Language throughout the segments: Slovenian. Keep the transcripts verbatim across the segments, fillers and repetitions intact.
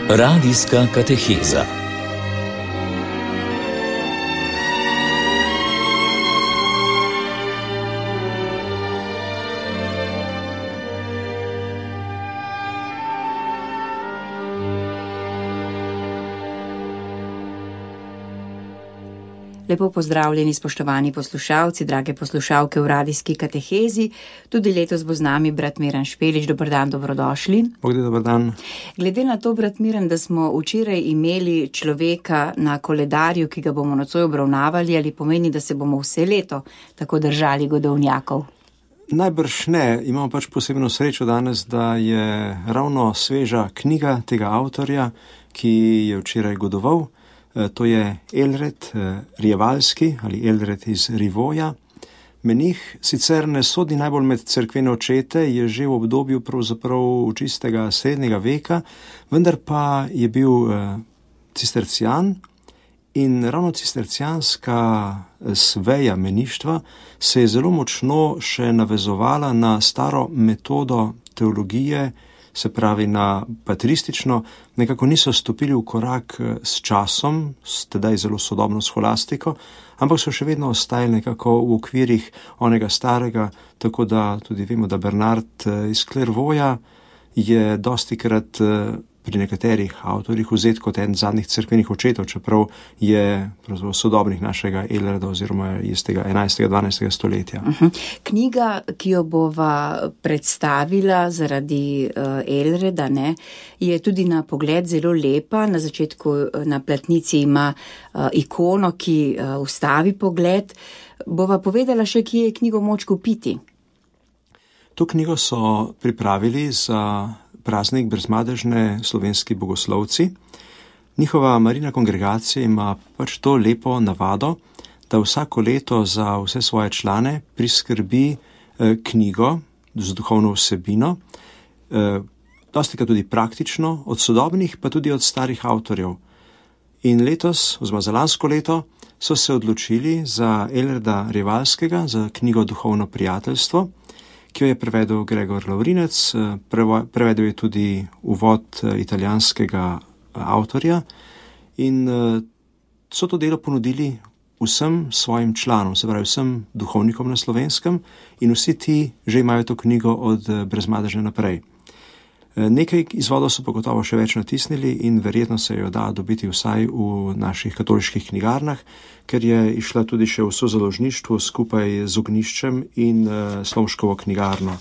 Radijska kateheza. Lepo pozdravljeni, spoštovani poslušalci, drage poslušalke v radijski katehezi. Tudi letos bo z nami brat Miran Špelič. Dober dan, dobrodošli. Bogdi, dober dan. Glede na to, brat Miran, da smo včeraj imeli človeka na koledarju, ki ga bomo nocoj obravnavali, ali pomeni, da se bomo vse leto tako držali godovnjakov? Najbrž ne. Imamo pač posebno srečo danes, da je ravno sveža knjiga tega avtorja, ki je včeraj godoval. To je Elred Rjevalski ali Elred iz Rivoja. Menih sicer ne sodi najbolj med cerkvene očete, je že v obdobju pravzaprav čistega srednjega veka, vendar pa je bil cistercijan in ravno cistercijanska sveja meništva se je zelo močno še navezovala na staro metodo teologije, se pravi na patristično, nekako niso stopili v korak s časom, s tedaj zelo sodobno scholastiko, ampak so še vedno ostajali nekako v okvirih onega starega, tako da tudi vemo, da Bernard iz Clairvauxa je dostikrat pri nekaterih avtorjih vzet kot en zadnjih cerkvenih očetov, čeprav je sodobnih našega Elreda oziroma iz tega enajstega dvanajstega stoletja. Uh-huh. Knjiga, ki jo bova predstavila zaradi uh, Elreda, ne, je tudi na pogled zelo lepa. Na začetku na platnici ima uh, ikono, ki uh, ustavi pogled. Bova povedala še, kje je knjigo moč kupiti. To knjigo so pripravili za praznik brezmadežne slovenski bogoslovci. Njihova Marijina kongregacija ima pač to lepo navado, da vsako leto za vse svoje člane priskrbi eh, knjigo z duhovno vsebino, eh, dostikrat tudi praktično, od sodobnih pa tudi od starih avtorjev. In letos, oziroma za lansko leto, so se odločili za Elreda Rjevalskega, za knjigo Duhovno prijateljstvo, ki jo je prevedel Gregor Lavrinec, prevedel je tudi uvod italijanskega avtorja in so to delo ponudili vsem svojim članom, se pravi vsem duhovnikom na Slovenskem, in vsi ti že imajo to knjigo od brezmadežne naprej. Nekaj izvodov so pa gotovo še več natisnili in verjetno se jo da dobiti vsaj v naših katoliških knjigarnah, ker je išla tudi še v sozaložništvu skupaj z Ognjiščem in uh, Slomškovo knjigarno.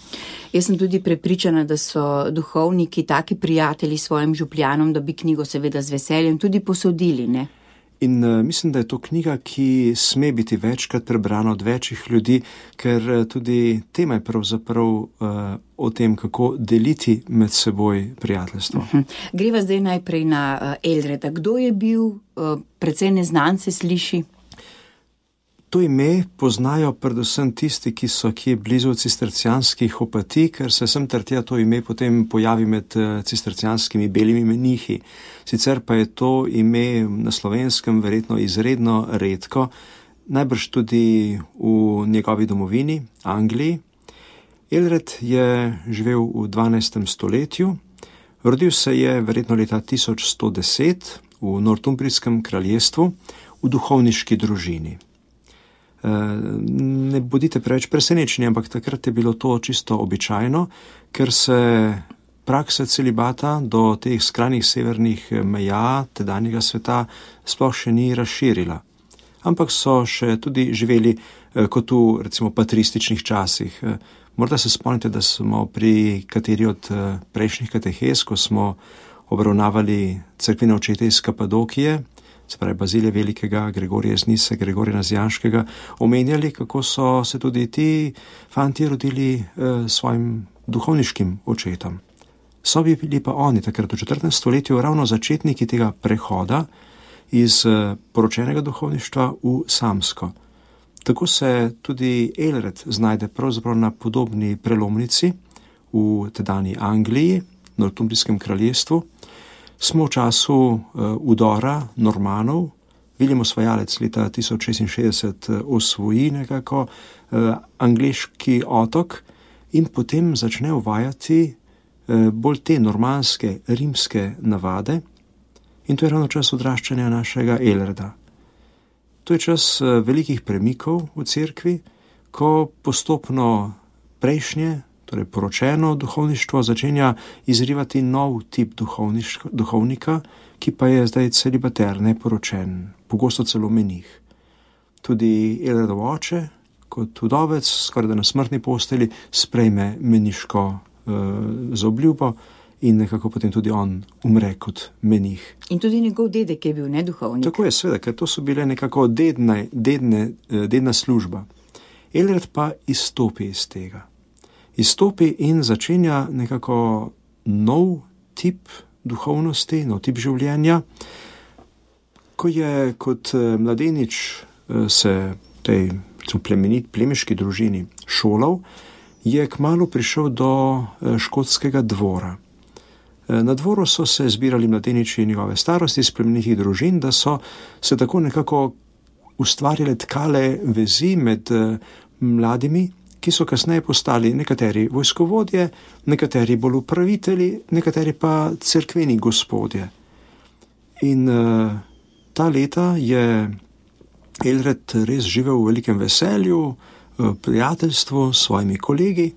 Jaz sem tudi prepričana, da so duhovniki taki prijatelji svojim župljanom, da bi knjigo seveda z veseljem tudi posodili, ne? In uh, mislim, da je to knjiga, ki sme biti večkrat prebrana od večjih ljudi, ker uh, tudi tema je pravzaprav uh, o tem, kako deliti med seboj prijateljstvo. Uh-huh. Greva zdaj najprej na uh, Elreda. Kdo je bil? Uh, precej neznan se sliši. To ime poznajo predvsem tisti, ki so kje blizu cistercijanskih opatij, ker se sem ter tja to ime potem pojavi med cistercijanskimi belimi menihi. Sicer pa je to ime na Slovenskem verjetno izredno redko, najbrž tudi v njegovi domovini, Angliji. Elred je živel v dvanajstem stoletju, rodil se je verjetno leta tisoč sto deset v Northumbrijskem kraljestvu v duhovniški družini. Ne bodite preveč presenečeni, ampak takrat je bilo to čisto običajno, ker se praksa celibata do teh skrajnih severnih meja tedanjega sveta sploh še ni razširila. Ampak so še tudi živeli kot v recimo patrističnih časih. Morda se spomnite, da smo pri kateri od prejšnjih katehez, ko smo obravnavali cerkvene očete iz Kapadokije, se pravi Bazilija Velikega, Gregorija iz Nise, Gregorija Nazijanškega, omenjali, kako so se tudi ti fanti rodili eh, svojim duhovniškim očetom. So bili pa oni takrat v četrtem stoletju ravno začetniki tega prehoda iz eh, poročenega duhovništva v samsko. Tako se tudi Elred znajde pravzaprav na podobni prelomnici v tedajni Angliji, Northumbrijskem kraljestvu. Smo v času uh, udora Normanov, Viljem osvajalec leta tisoč šestinšestdeset osvoji nekako uh, angleški otok in potem začne uvajati uh, bolj te normanske, rimske navade, In to je ravno čas odraščanja našega Elreda. To je čas velikih premikov v cerkvi, ko postopno prejšnje, torej poročeno duhovništvo, začenja izrivati nov tip duhovnika, ki pa je zdaj celibater, neporočen, pogosto celo menih. Tudi Elredov oče, kot vdovec, skoraj da na smrtni posteli, sprejme meniško uh, zaobljubo in nekako potem tudi on umre kot menih. In tudi njegov dedek je bil neduhovnik. Tako je, seveda, ker to so bile nekako dedne, dedne, dedna služba. Elred pa izstopi iz tega. Izstopi in začenja nekako nov tip duhovnosti, nov tip življenja. Ko je kot mladenič se tej plemenit, plemiški družini šolal, je kmalu prišel do škotskega dvora. Na dvoru so se zbirali mladeniči njegove starosti iz plemenitih družin, da so se tako nekako ustvarjale tkale vezi med mladimi, ki so kasneje postali nekateri vojskovodje, nekateri bolj upravitelji, nekateri pa cerkveni gospodje. In uh, ta leta je Elred res živel v velikem veselju, prijateljstvu s svojimi kolegi,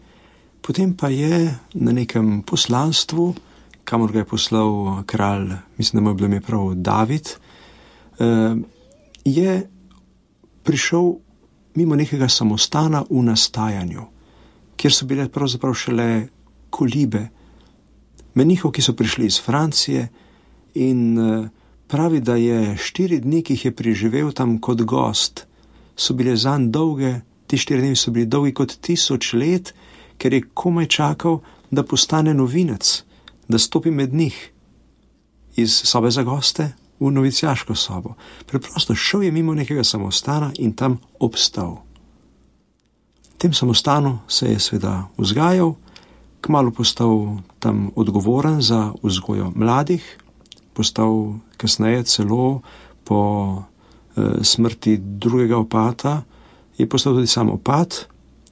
potem pa je na nekem poslanstvu, kamor ga je poslal kralj, mislim, da mu je bilo ime prav David, uh, je prišel mimo nekega samostana v nastajanju, kjer so bile pravzaprav šele kolibe menihov, ki so prišli iz Francije, in pravi, da je štiri dni, ki jih je preživel tam kot gost, so bile zanj dolge, ti štiri dni so bili dolgi kot tisoč let, ker je komaj čakal, da postane novinec, da stopi med njih iz sobe za goste v novicijaško sobo. Preprosto šel je mimo nekega samostana in tam obstal. V tem samostanu se je seveda vzgajal, kmalu postal tam odgovoren za vzgojo mladih, postal kasneje celo po e, smrti drugega opata, je postal tudi sam opat,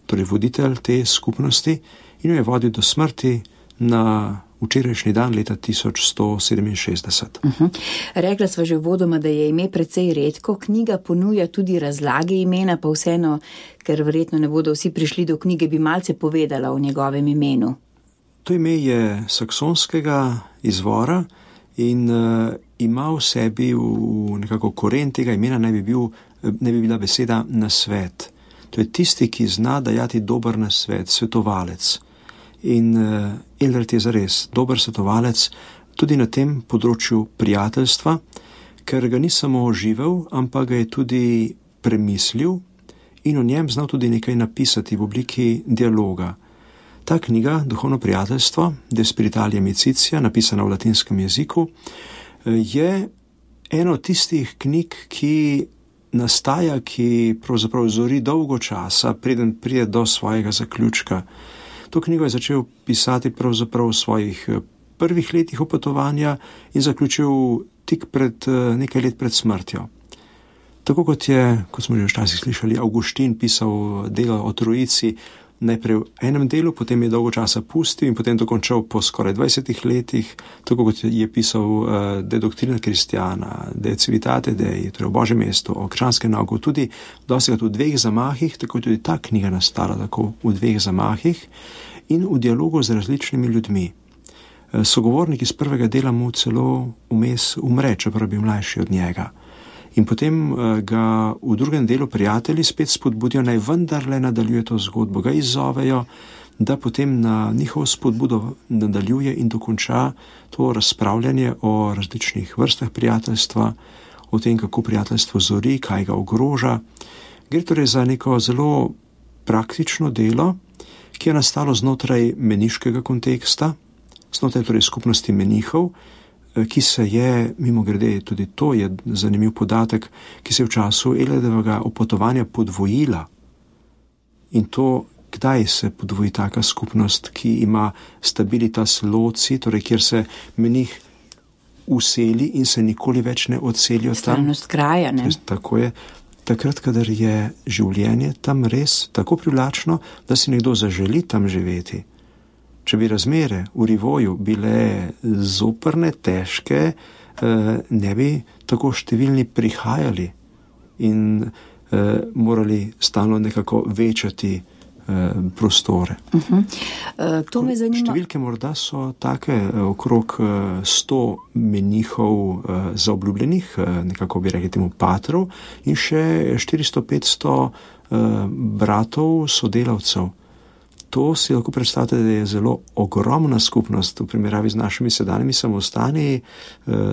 torej voditelj te skupnosti, in jo je vodil do smrti na včerajšnji dan leta tisoč sto sedeminšestdeset. Uh-huh. Rekla sva že uvodoma, da je ime precej redko, knjiga ponuja tudi razlage imena, pa vseeno, ker verjetno ne bodo vsi prišli do knjige, bi malce povedala o njegovem imenu. To ime je saksonskega izvora in uh, ima v sebi v nekako koren tega imena naj bi, bil, naj bi bila beseda nasvet. To je tisti, ki zna dajati dober nasvet, svetovalec. In uh, Elred je zares dober svetovalec tudi na tem področju prijateljstva, ker ga ni samo živel, ampak ga je tudi premislil in o njem znal tudi nekaj napisati v obliki dialoga. Ta knjiga, Duhovno prijateljstvo, De Spiritualia Amicitia, napisana v latinskem jeziku, je ena od tistih knjig, ki nastaja, ki pravzaprav zori dolgo časa, preden pride do svojega zaključka. To knjigo je začel pisati pravzaprav v svojih prvih letih opotovanja in zaključil tik pred nekaj let pred smrtjo. Tako kot je, kot smo že včasih slišali, Avguštin pisal delo o Trojici, najprej v enem delu, potem je dolgo časa pustil in potem dokončal po skoraj dvajsetih letih, tako kot je pisal uh, De Doctrina Christiana, De Civitate Dei, torej o Božjem mestu, o krščanskem nauku, tudi dostikrat v dveh zamahih, tako tudi ta knjiga nastala tako v dveh zamahih in v dialogu z različnimi ljudmi. Sogovornik iz prvega dela mu celo vmes umre, čeprav bi mlajši od njega. In potem ga v drugem delu prijatelji spet spodbudijo, naj vendarle nadaljuje to zgodbo, ga izzovejo, da potem na njihovo spodbudo nadaljuje in dokonča to razpravljanje o različnih vrstah prijateljstva, o tem, kako prijateljstvo zori, kaj ga ogroža. Gre torej za neko zelo praktično delo, ki je nastalo znotraj meniškega konteksta, znotraj torej skupnosti menihov, ki se je, mimogrede, tudi to je zanimiv podatek, ki se je v času Elredovega opotovanja podvojila. In to, kdaj se podvoji taka skupnost, ki ima stabilitas loci, torej kjer se menih useli in se nikoli več ne odselijo tam. Stalnost kraja, ne? Tako je. Takrat, kadar je življenje tam res tako privlačno, da si nekdo zaželi tam živeti. Če bi razmere v Rivoju bile zoprne, težke, ne bi tako številni prihajali in morali stalno nekako večati prostore. Uh-huh. To me zanima. Številke morda so take, okrog sto menihov zaobljubljenih, nekako bi rekli temu patrov, in še štiristo petsto bratov sodelavcev. To si lahko predstavljate, da je zelo ogromna skupnost v primerjavi z našimi sedanjimi samostani,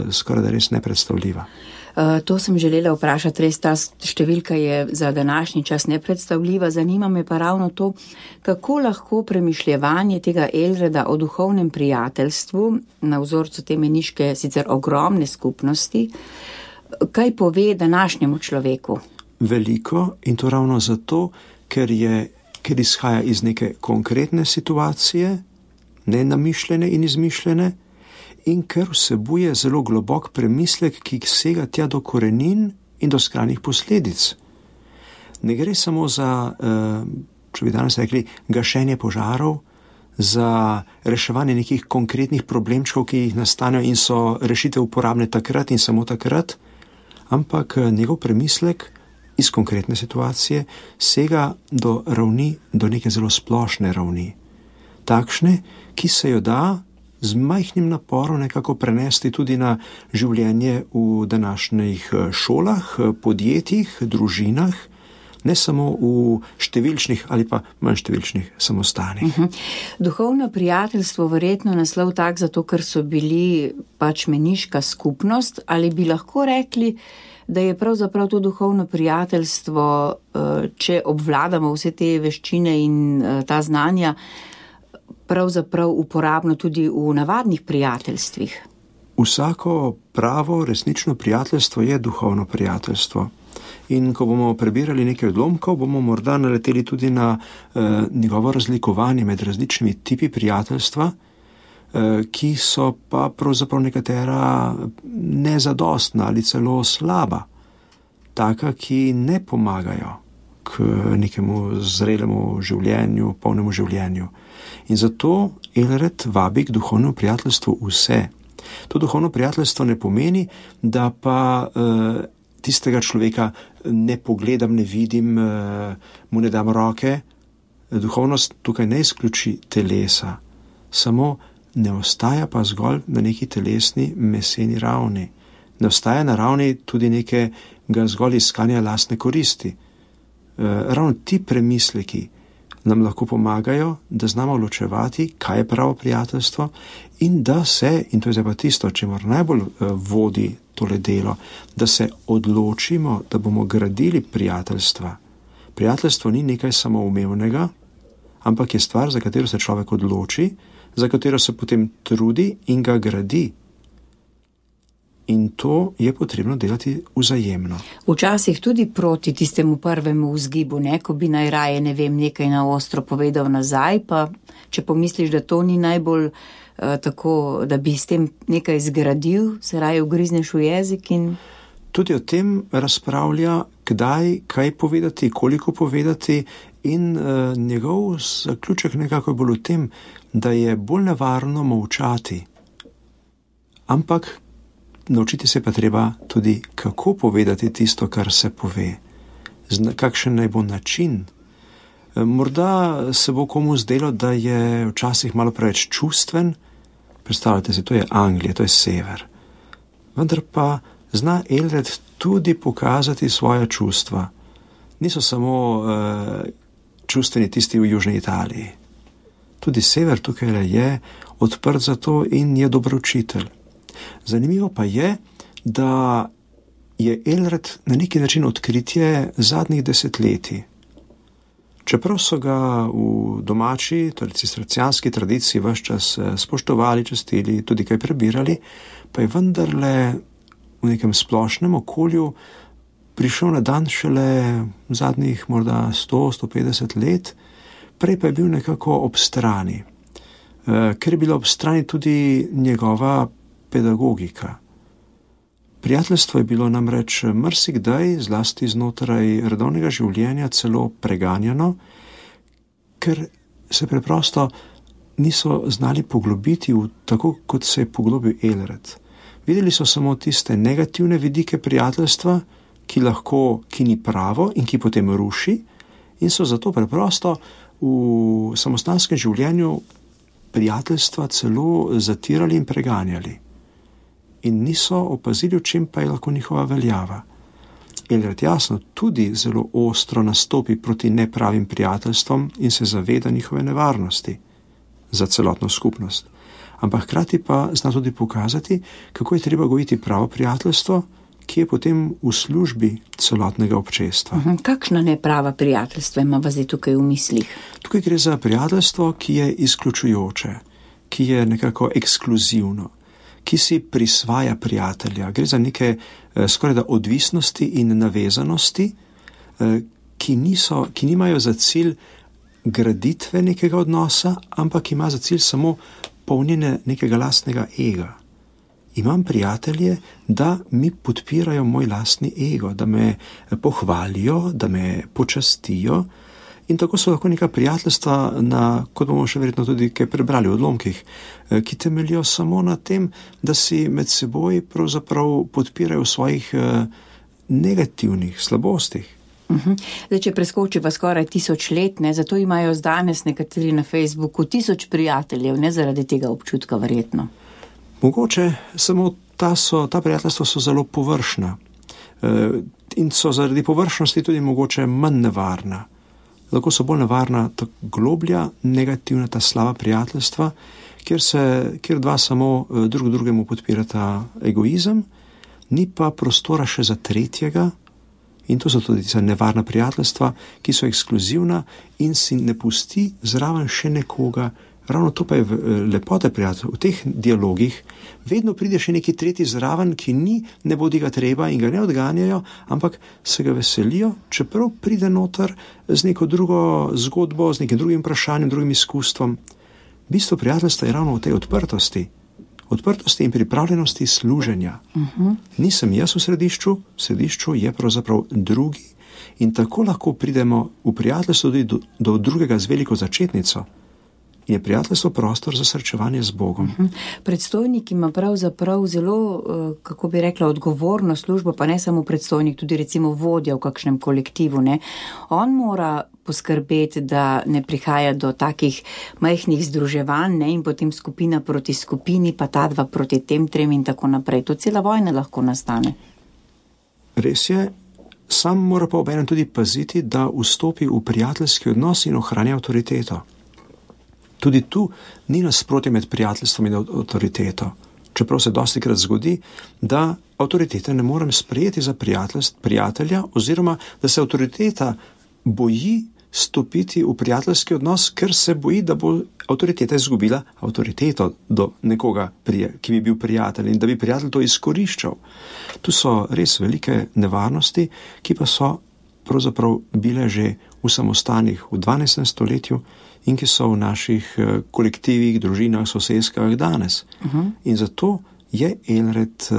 skoraj da res nepredstavljiva. To sem želela vprašati, res ta številka je za današnji čas nepredstavljiva. Zanima me pa ravno to, kako lahko premišljevanje tega Elreda o duhovnem prijateljstvu na vzorcu te meniške sicer ogromne skupnosti, kaj pove današnjemu človeku? Veliko, in to ravno zato, ker, je, ker izhaja iz neke konkretne situacije, nenamišljene in izmišljene, in ker vsebuje zelo globok premislek, ki sega tja do korenin in do skrajnih posledic. Ne gre samo za, če bi danes rekli, gašenje požarov, za reševanje nekih konkretnih problemčkov, ki jih nastanejo in so rešitev uporabne takrat in samo takrat, ampak njegov premislek iz konkretne situacije sega do ravni, do neke zelo splošne ravni. Takšne, ki se jo da z majhnim naporom nekako prenesti tudi na življenje v današnjih šolah, podjetjih, družinah, ne samo v številčnih ali pa manj številčnih samostanih. Uh-huh. Duhovno prijateljstvo verjetno naslov tak zato, ker so bili pač meniška skupnost, ali bi lahko rekli, da je pravzaprav to duhovno prijateljstvo, če obvladamo vse te veščine in ta znanja, pravzaprav uporabno tudi v navadnih prijateljstvih? Vsako pravo, resnično prijateljstvo je duhovno prijateljstvo. In ko bomo prebirali nekaj odlomkov, bomo morda naleteli tudi na eh, njegovo razlikovanje med različnimi tipi prijateljstva, eh, ki so pa pravzaprav nekatera nezadostna ali celo slaba. Taka, ki ne pomagajo k nekemu zrelemu življenju, polnemu življenju. In zato Elred vabi k duhovnemu prijateljstvu vse. To duhovno prijateljstvo ne pomeni, da pa uh, tistega človeka ne pogledam, ne vidim, uh, mu ne dam roke. Duhovnost tukaj ne izključi telesa, samo ne ostaja pa zgolj na neki telesni, meseni ravni. Ne ostaja na ravni tudi nekega zgolj iskanja lastne koristi. Uh, ravno ti premisleki nam lahko pomagajo, da znamo ločevati, kaj je pravo prijateljstvo in da se, in to je zdaj pa tisto, čemur najbolj vodi tole delo, da se odločimo, da bomo gradili prijateljstva. Prijateljstvo ni nekaj samoumevnega, ampak je stvar, za katero se človek odloči, za katero se potem trudi in ga gradi. In to je potrebno delati vzajemno. Včasih tudi proti tistemu prvemu vzgibu, ne, ko bi najraje, ne vem, nekaj na ostro povedal nazaj, pa če pomisliš, da to ni najbolj uh, tako, da bi s tem nekaj zgradil, se raje ugrizneš v jezik in... Tudi o tem razpravlja, kdaj, kaj povedati, koliko povedati in uh, njegov zaključek nekako bolj v tem, da je bolj nevarno molčati. Ampak naučiti se pa treba tudi, kako povedati tisto, kar se pove. Kakšen naj bo način. Morda se bo komu zdelo, da je včasih malo preveč čustven. Predstavljate si, to je Anglija, to je sever. Vendar pa zna Elred tudi pokazati svoja čustva. Niso samo uh, čustveni tisti v južni Italiji. Tudi sever tukaj je odprt za to in je dober učitelj. Zanimivo pa je, da je Elred na neki način odkritje zadnjih desetletij. Čeprav so ga v domači, torej cistercijanski tradiciji ves čas spoštovali, častili, tudi kaj prebirali, pa je vendarle v nekem splošnem okolju prišel na dan šele zadnjih morda sto do sto petdeset let, prej pa je bil nekako ob strani, ker je bila ob strani tudi njegova pedagogika. Prijateljstvo je bilo namreč marsikdaj, zlasti znotraj redovnega življenja, celo preganjano, ker se preprosto niso znali poglobiti v tako, kot se je poglobil Elred. Videli so samo tiste negativne vidike prijateljstva, ki lahko, ki ni pravo in ki potem ruši, in so zato preprosto v samostanskem življenju prijateljstva celo zatirali in preganjali. In niso opazili, v čem pa je lahko njihova veljava. Ehlert jasno tudi zelo ostro nastopi proti nepravim prijateljstvom in se zaveda njihove nevarnosti za celotno skupnost. Ampak hkrati pa zna tudi pokazati, kako je treba gojiti pravo prijateljstvo, ki je potem v službi celotnega občestva. Uhum, kakšna neprava prijateljstva ima zdaj tukaj v mislih? Tukaj gre za prijateljstvo, ki je izključujoče, ki je nekako ekskluzivno, ki si prisvaja prijatelja. Gre za neke eh, skoraj da odvisnosti in navezanosti, eh, ki, niso, ki nimajo za cilj graditve nekega odnosa, ampak ima za cilj samo polnjenje nekega lastnega ega. Imam prijatelje, da mi podpirajo moj lastni ego, da me pohvalijo, da me počastijo, in tako so lahko neka prijateljstva, na, kot bomo še verjetno tudi kaj prebrali v odlomkih, ki temeljijo samo na tem, da si med seboj pravzaprav podpirajo v svojih negativnih slabostih. Uhum. Zdaj, če preskočiva skoraj tisoč let, ne, zato imajo danes nekateri na Facebooku tisoč prijateljev, ne zaradi tega občutka verjetno. Mogoče samo ta, so, ta prijateljstva so zelo površna e, in so zaradi površnosti tudi mogoče manj nevarna. Lahko so bolj nevarna ta globlja, negativna, ta slaba prijateljstva, kjer, se, kjer dva samo drug drugemu podpirata egoizem, ni pa prostora še za tretjega, in to so tudi za nevarna prijateljstva, ki so ekskluzivna in si ne pusti zraven še nekoga. Ravno to pa je lepota prijateljev. V teh dialogih vedno pride še neki tretji zraven, ki ni, ne bodi ga treba in ga ne odganjajo, ampak se ga veselijo, čeprav pride noter z neko drugo zgodbo, z nekim drugim vprašanjem, drugim izkustvom. Bistvo prijateljstva je ravno v tej odprtosti. Odprtosti in pripravljenosti služenja. Uh-huh. Nisem jaz v središču, v središču je pravzaprav drugi in tako lahko pridemo v prijateljstvo tudi do, do drugega z veliko začetnico. Je prijateljstvo prostor za srečevanje z Bogom. Uh-huh. Predstojnik ima pravzaprav zelo, kako bi rekla, odgovorno službo, pa ne samo predstojnik, tudi recimo vodja v kakšnem kolektivu. Ne? On mora poskrbeti, da ne prihaja do takih majhnih združevanj, ne? In potem skupina proti skupini, pa ta dva proti tem trem in tako naprej. To cela vojna lahko nastane. Res je, sam mora pa obenem tudi paziti, da vstopi v prijateljski odnos in ohranja avtoriteto. Tudi tu ni nasprotje med prijateljstvom in avtoriteto. Čeprav se dostikrat zgodi, da avtoritete ne morem sprejeti za prijatelja oziroma da se avtoriteta boji stopiti v prijateljski odnos, ker se boji, da bo avtoriteta izgubila avtoriteto do nekoga, ki bi bil prijatelj in da bi prijatelj to izkoriščal. Tu so res velike nevarnosti, ki pa so pravzaprav bile že v samostanih v dvanajstem stoletju in ki so v naših kolektivih, družinah, sosedskah danes. Uh-huh. In zato je Ehlert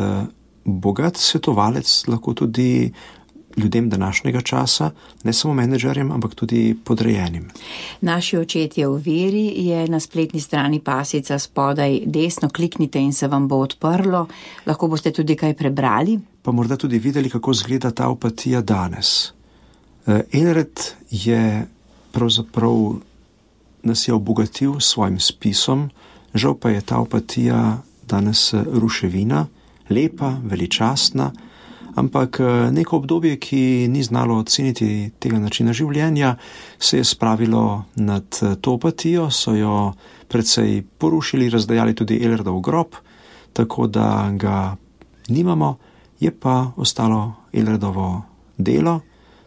bogat svetovalec lahko tudi ljudem današnjega časa, ne samo menedžerjem, ampak tudi podrejenim. Naši očetje v veri je na spletni strani pasica spodaj desno, kliknite in se vam bo odprlo. Lahko boste tudi kaj prebrali. Pa morda tudi videli, kako izgleda ta apatija danes. Ehlert je pravzaprav nas je obogatil s svojim spisom, žal pa je ta apatija danes ruševina, lepa, veličastna, ampak neko obdobje, ki ni znalo oceniti tega načina življenja, se je spravilo nad to apatijo, so jo precej porušili, razdajali tudi Ehlertov grob, tako da ga nimamo, je pa ostalo Ehlertovo delo,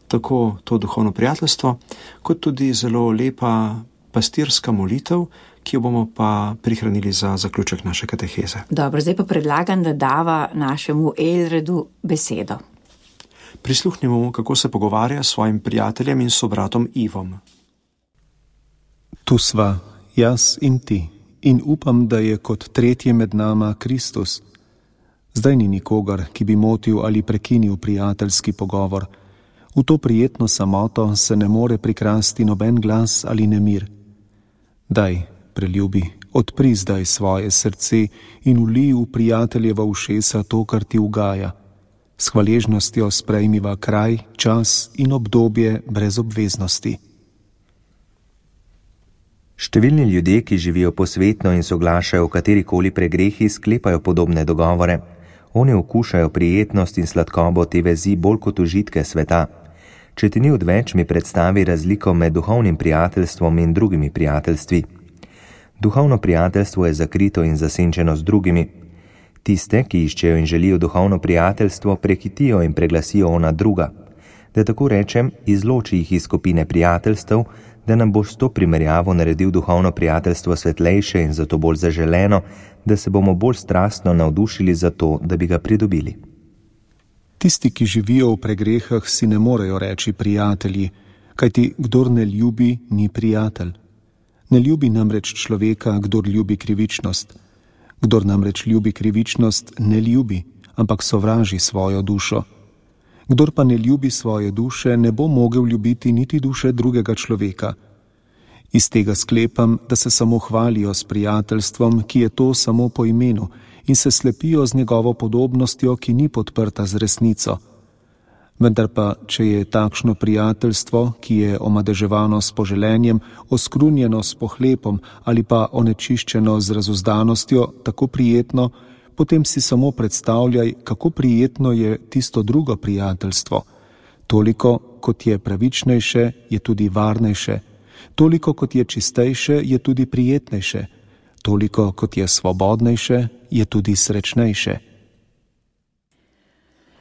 tako to duhovno prijateljstvo, kot tudi zelo lepa pastirska molitev, ki jo bomo pa prihranili za zaključek naše kateheze. Dobro, zdaj pa predlagam, da dava našemu Ehlredu besedo. Prisluhnimo mu, kako se pogovarja s svojim prijateljem in sobratom Ivom. Tu sva, jaz in ti, in upam, da je kot tretje med nama Kristus. Zdaj ni nikogar, ki bi motil ali prekinil prijateljski pogovor. V to prijetno samoto se ne more prikrasti noben glas ali nemir. Daj, preljubi, odpri zdaj svoje srce in vlij v prijateljeva ušesa to, kar ti ugaja. S hvaležnostjo sprejmiva kraj, čas in obdobje brez obveznosti. Številni ljudje, ki živijo posvetno in soglašajo v katerikoli pregrehi, sklepajo podobne dogovore. Oni okušajo prijetnost in sladkobo te vezi bolj kot užitke sveta. Če ti ni odveč, mi predstavi razliko med duhovnim prijateljstvom in drugimi prijateljstvi. Duhovno prijateljstvo je zakrito in zasenčeno z drugimi. Tiste, ki iščejo in želijo duhovno prijateljstvo, prekitijo in preglasijo ona druga. Da tako rečem, izloči jih iz skupine prijateljstev, da nam boš s to primerjavo naredil duhovno prijateljstvo svetlejše in zato bolj zaželeno, da se bomo bolj strastno navdušili za to, da bi ga pridobili. Tisti, ki živijo v pregrehah, si ne morejo reči prijatelji, kajti kdor ne ljubi, ni prijatelj. Ne ljubi namreč človeka, kdor ljubi krivičnost. Kdor namreč ljubi krivičnost, ne ljubi, ampak sovraži svojo dušo. Kdor pa ne ljubi svoje duše, ne bo mogel ljubiti niti duše drugega človeka. Iz tega sklepam, da se samo hvalijo s prijateljstvom, ki je to samo po imenu, in se slepijo z njegovo podobnostjo, ki ni podprta z resnico. Vendar pa, če je takšno prijateljstvo, ki je omadeževano s poželenjem, oskrunjeno s pohlepom ali pa onečiščeno z razuzdanostjo, tako prijetno, potem si samo predstavljaj, kako prijetno je tisto drugo prijateljstvo. Toliko, kot je pravičnejše, je tudi varnejše. Toliko, kot je čistejše, je tudi prijetnejše. Toliko, kot je svobodnejše, je tudi srečnejše.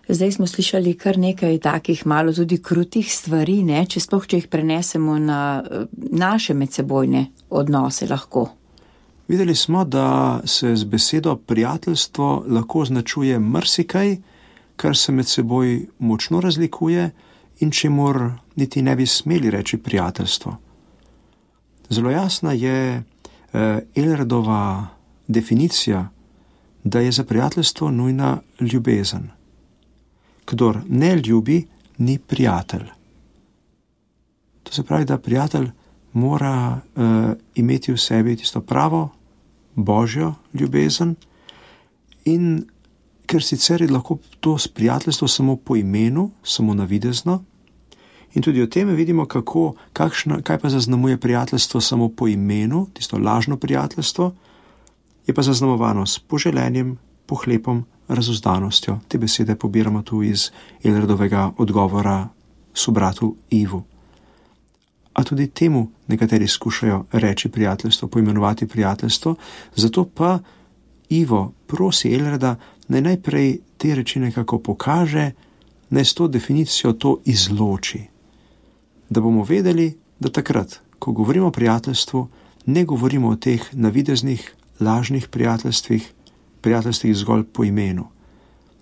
Zdaj smo slišali kar nekaj takih malo tudi krutih stvari, ne? Če sploh, če jih prenesemo na naše medsebojne odnose lahko. Videli smo, da se z besedo prijateljstvo lahko označuje marsikaj, kar se med seboj močno razlikuje in čemur niti ne bi smeli reči prijateljstvo. Zelo jasna je eh, Ehlradova definicija, da je za prijateljstvo nujna ljubezen. Kdor ne ljubi, ni prijatelj. To se pravi, da prijatelj mora uh, imeti v sebi tisto pravo, božjo ljubezen in ker sicer je lahko to prijateljstvo samo po imenu, samo navidezno in tudi o tem vidimo, kako, kakšna, kaj pa zaznamuje prijateljstvo samo po imenu, tisto lažno prijateljstvo, je pa zaznamovano s poželenjem, pohlepom, razuzdanostjo. Te besede pobiramo tu iz Ehlradovega odgovora sobratu Ivu. A tudi temu nekateri skušajo reči prijateljstvo, poimenovati prijateljstvo, zato pa Ivo prosi Ehlrada, naj najprej te reči nekako pokaže, naj s to definicijo to izloči. Da bomo vedeli, da takrat, ko govorimo o prijateljstvu, ne govorimo o teh navideznih, lažnih prijateljstvih, prijateljstvih zgolj po imenu,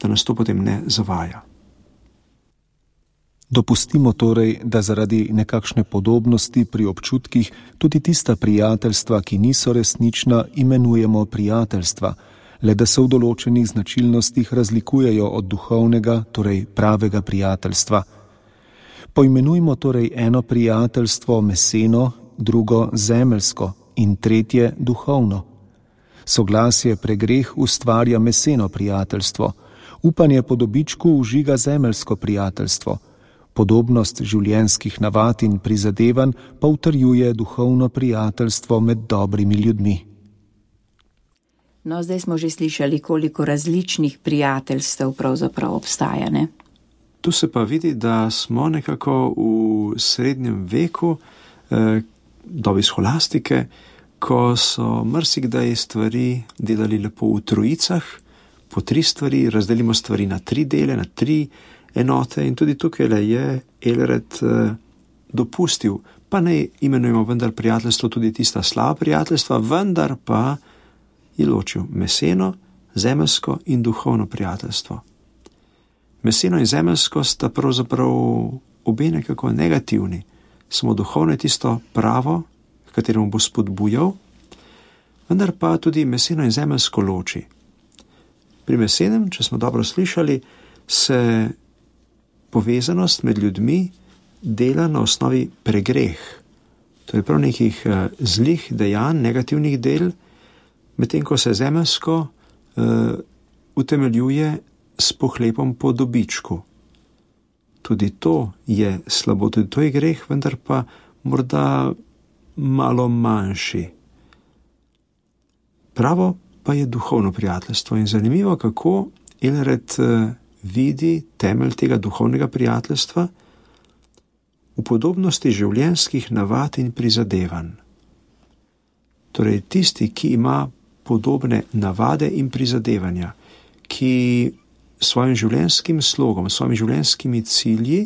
da nas to potem ne zavaja. Dopustimo torej, da zaradi nekakšne podobnosti pri občutkih tudi tista prijateljstva, ki niso resnična, imenujemo prijateljstva, le da se v določenih značilnostih razlikujejo od duhovnega, torej pravega prijateljstva. Poimenujmo torej eno prijateljstvo meseno, drugo zemeljsko in tretje duhovno. Soglasje pregreh ustvarja meseno prijateljstvo, upanje po dobičku užiga zemeljsko prijateljstvo, podobnost življenjskih navad in prizadevanj pa utrjuje duhovno prijateljstvo med dobrimi ljudmi. No, zdaj smo že slišali, koliko različnih prijateljstev pravzaprav obstaja, ne? Tu se pa vidi, da smo nekako v srednjem veku, eh, dobi scholastike, ko so marsikdaj stvari delali lepo v trojicah, po tri stvari, razdelimo stvari na tri dele, na tri enote in tudi tukaj je Ehlrad eh, dopustil, pa ne imenujemo vendar prijateljstvo tudi tista slaba prijateljstva, vendar pa je ločil meseno, zemeljsko in duhovno prijateljstvo. Meseno in zemeljsko sta pravzaprav obe nekako negativni, samo duhovno je tisto pravo, kateremu bo spodbujal, vendar pa tudi meseno in zemeljsko loči. Pri mesenem, če smo dobro slišali, se povezanost med ljudmi dela na osnovi pregreh, to je prav nekih uh, zlih dejanj, negativnih del, medtem ko se zemeljsko uh, utemeljuje s pohlepom po dobičku. Tudi to je slabo, tudi to je greh, vendar pa morda malo manjši. Pravo pa je duhovno prijateljstvo in zanimivo, kako Eljred uh, vidi temelj tega duhovnega prijateljstva v podobnosti življenjskih navad in prizadevanj. Torej, tisti, ki ima podobne navade in prizadevanja, ki svojim življenjskim slogom, svojimi življenjskimi cilji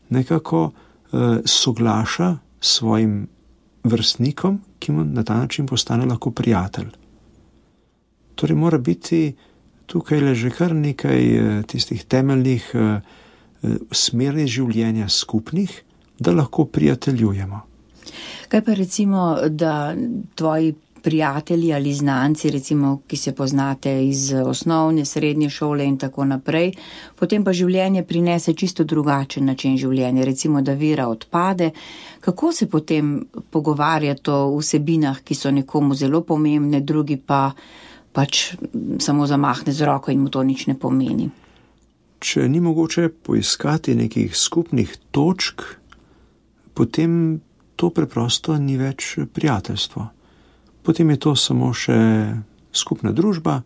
nekako eh, soglaša svojim vrstnikom, ki mu na ta način postane lahko prijatelj. Torej, mora biti tukaj le že kar nekaj eh, tistih temeljnih eh, smernic življenja skupnih, da lahko prijateljujemo. Kaj pa recimo, da tvoji prijatelji ali znanci, recimo, ki se poznate iz osnovne, srednje šole in tako naprej, potem pa življenje prinese čisto drugačen način življenja, recimo, da vera odpade. Kako se potem pogovarjati o vsebinah, ki so nekomu zelo pomembne, drugi pa pač samo zamahne z roko in mu to nič ne pomeni? Če ni mogoče poiskati nekih skupnih točk, potem to preprosto ni več prijateljstvo. Potem je to samo še skupna družba,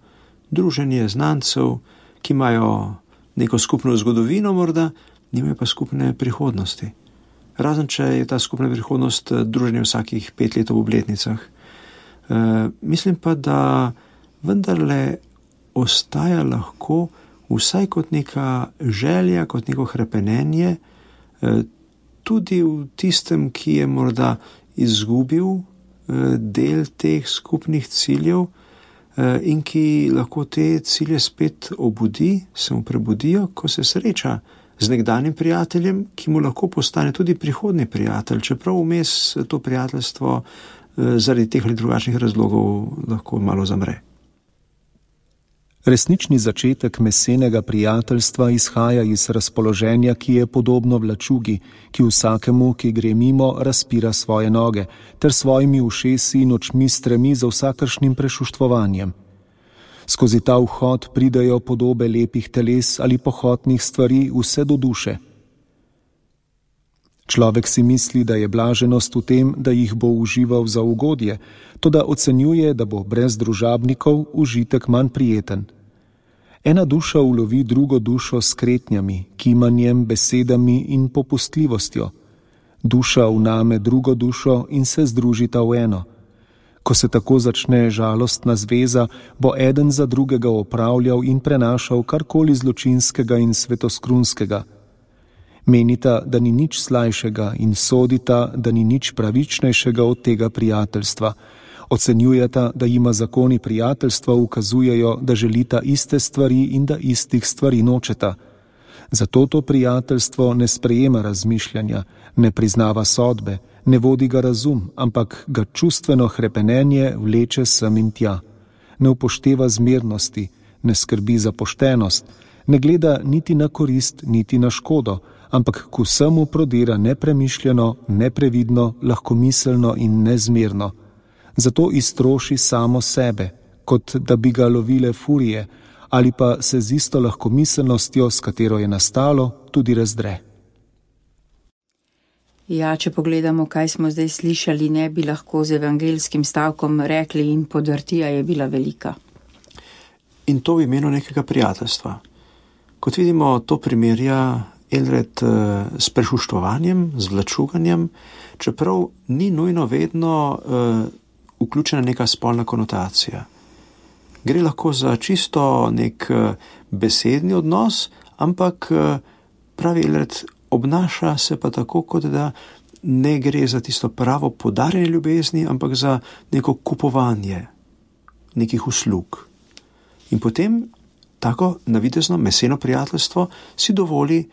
druženje znancev, ki imajo neko skupno zgodovino morda, nimajo pa skupne prihodnosti. Razen če je ta skupna prihodnost druženje vsakih pet let ob obletnicah. E, mislim pa, da vendarle ostaja lahko vsaj kot neka želja, kot neko hrepenenje, e, tudi v tistem, ki je morda izgubil del teh skupnih ciljev in ki lahko te cilje spet obudi, se mu prebudijo, ko se sreča z nekdanjim prijateljem, ki mu lahko postane tudi prihodni prijatelj, čeprav vmes to prijateljstvo zaradi teh ali drugačnih razlogov lahko malo zamre. Resnični začetek mesenega prijateljstva izhaja iz razpoloženja, ki je podobno vlačugi, ki vsakemu, ki gre mimo, razpira svoje noge, ter svojimi ušesi in očmi stremi za vsakršnim prešuštvovanjem. Skozi ta vhod pridejo podobe lepih teles ali pohotnih stvari vse do duše. Človek si misli, da je blaženost v tem, da jih bo užival za ugodje, toda ocenjuje, da bo brez družabnikov užitek manj prijeten. Ena duša ulovi drugo dušo s kretnjami, kimanjem, besedami in popustljivostjo. Duša vname drugo dušo in se združita v eno. Ko se tako začne žalostna zveza, bo eden za drugega opravljal in prenašal karkoli zločinskega in svetoskrunskega. Menita, da ni nič slajšega in sodita, da ni nič pravičnejšega od tega prijateljstva. Ocenjujeta, da jima zakoni prijateljstva ukazujejo, da želita iste stvari in da istih stvari nočeta. Zato to prijateljstvo ne sprejema razmišljanja, ne priznava sodbe, ne vodi ga razum, ampak ga čustveno hrepenenje vleče sem in tja. Ne upošteva zmernosti, ne skrbi za poštenost, ne gleda niti na korist, niti na škodo, ampak k vsemu prodira nepremišljeno, neprevidno, lahkomiselno in nezmerno. Zato iztroši samo sebe, kot da bi ga lovile furije, ali pa se z isto lahkomiselnostjo, s katero je nastalo, tudi razdre. Ja, če pogledamo, kaj smo zdaj slišali, ne bi lahko z evangelskim stavkom rekli in podrtija je bila velika. In to v imenu nekega prijateljstva. Kot vidimo, to primerja Eljred s prešuštvovanjem, z vlačuganjem, čeprav ni nujno vedno uh, vključena neka spolna konotacija. Gre lahko za čisto nek uh, besedni odnos, ampak uh, pravi Eljred obnaša se pa tako, kot da ne gre za tisto pravo podarjanje ljubezni, ampak za neko kupovanje nekih uslug. In potem tako navidezno meseno prijateljstvo si dovoli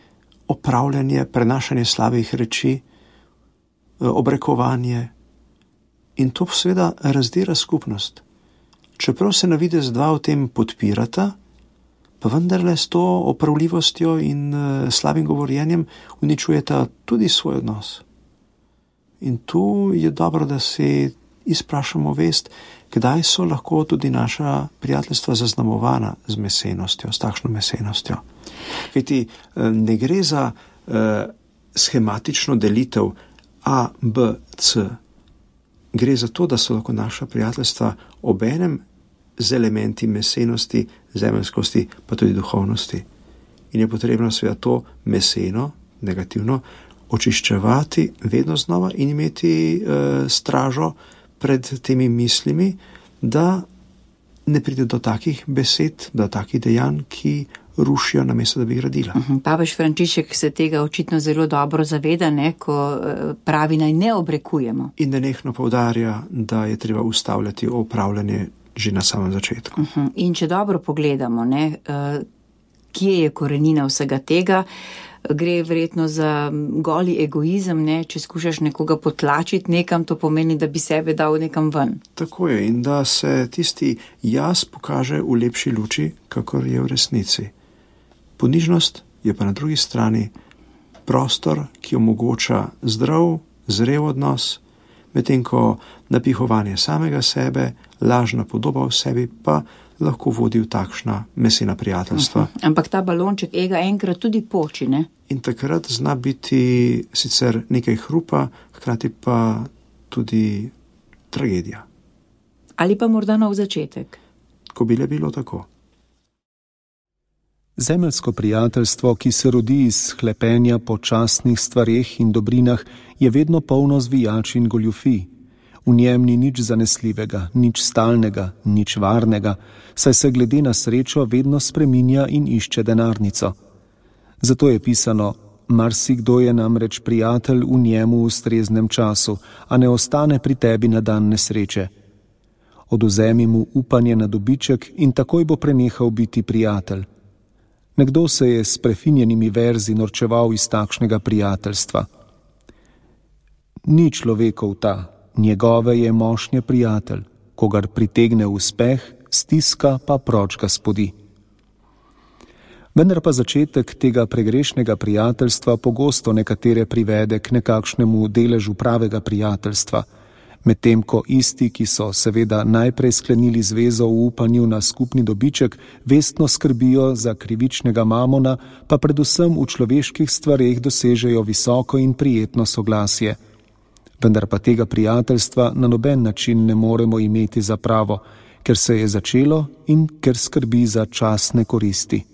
opravljanje, prenašanje slabih reči, obrekovanje in to seveda razdira skupnost. Čeprav se navidez dva v tem podpirata, pa vendarle s to opravljivostjo in slabim govorjenjem uničujeta tudi svoj odnos. In tu je dobro, da si izprašamo vest, kdaj so lahko tudi naša prijateljstva zaznamovana z mesenostjo, s takšno mesenostjo. Kajti ne gre za eh, schematično delitev A, B, C. Gre za to, da so lahko naša prijateljstva obenem z elementi mesenosti, zemeljskosti, pa tudi duhovnosti. In je potrebno seveda to meseno, negativno, očiščevati vedno znova in imeti e, stražo pred temi mislimi, da ne pride do takih besed, do takih dejanj, ki rušijo namesto, da bi gradila. Papež Frančišek se tega očitno zelo dobro zaveda, ne, ko pravi, naj ne obrekujemo. In nenehno poudarja, da je treba ustavljati opravljanje že na samem začetku. In če dobro pogledamo, ne, kje je korenina vsega tega, gre verjetno za goli egoizem, ne, če skušaš nekoga potlačiti nekam, to pomeni, da bi sebe dal nekam ven. Tako je, in da se tisti jaz pokaže v lepši luči, kakor je v resnici. Ponižnost je pa na drugi strani prostor, ki omogoča zdrav, zrel odnos, medtem ko napihovanje samega sebe, lažna podoba v sebi pa lahko vodi v takšna mesena prijateljstva. Uh-huh. Ampak ta balonček ega enkrat tudi poči, ne? In takrat zna biti sicer nekaj hrupa, hkrati pa tudi tragedija. Ali pa morda nov začetek. Ko bi le bilo tako. Zemeljsko prijateljstvo, ki se rodi iz hlepenja po častnih stvareh in dobrinah, je vedno polno zvijač in goljufij. V njem ni nič zanesljivega, nič stalnega, nič varnega, saj se glede na srečo vedno spreminja in išče denarnico. Zato je pisano, marsikdo je namreč prijatelj v njemu v ustreznem času, a ne ostane pri tebi na dan nesreče. Odvzemi mu upanje na dobiček in takoj bo prenehal biti prijatelj. Nekdo se je s prefinjenimi verzi norčeval iz takšnega prijateljstva. Ni človekov ta, njegove je mošnje prijatelj, kogar pritegne uspeh, stiska pa proč ga spodi. Vendar pa začetek tega pregrešnega prijateljstva pogosto nekatere privede k nekakšnemu deležu pravega prijateljstva, medtem ko isti, ki so seveda najprej sklenili zvezo v upanju na skupni dobiček, vestno skrbijo za krivičnega mamona, pa predvsem v človeških stvareh dosežejo visoko in prijetno soglasje. Vendar pa tega prijateljstva na noben način ne moremo imeti za pravo, ker se je začelo in ker skrbi za časne koristi.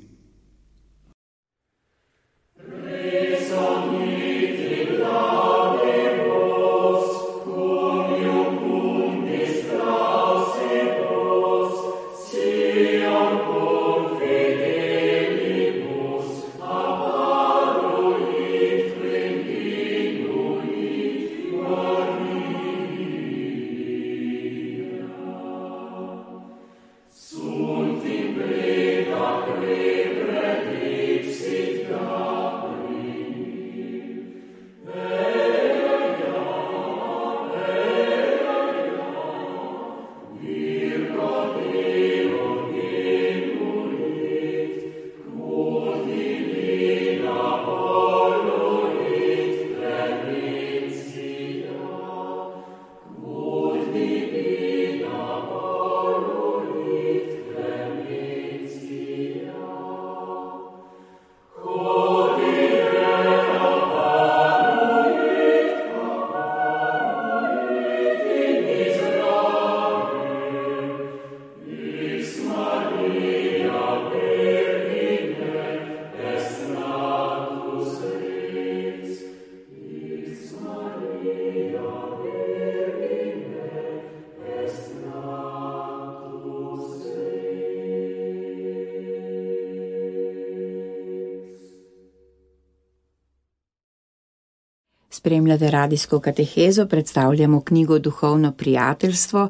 Spremljate radijsko katehezo, predstavljamo knjigo Duhovno prijateljstvo.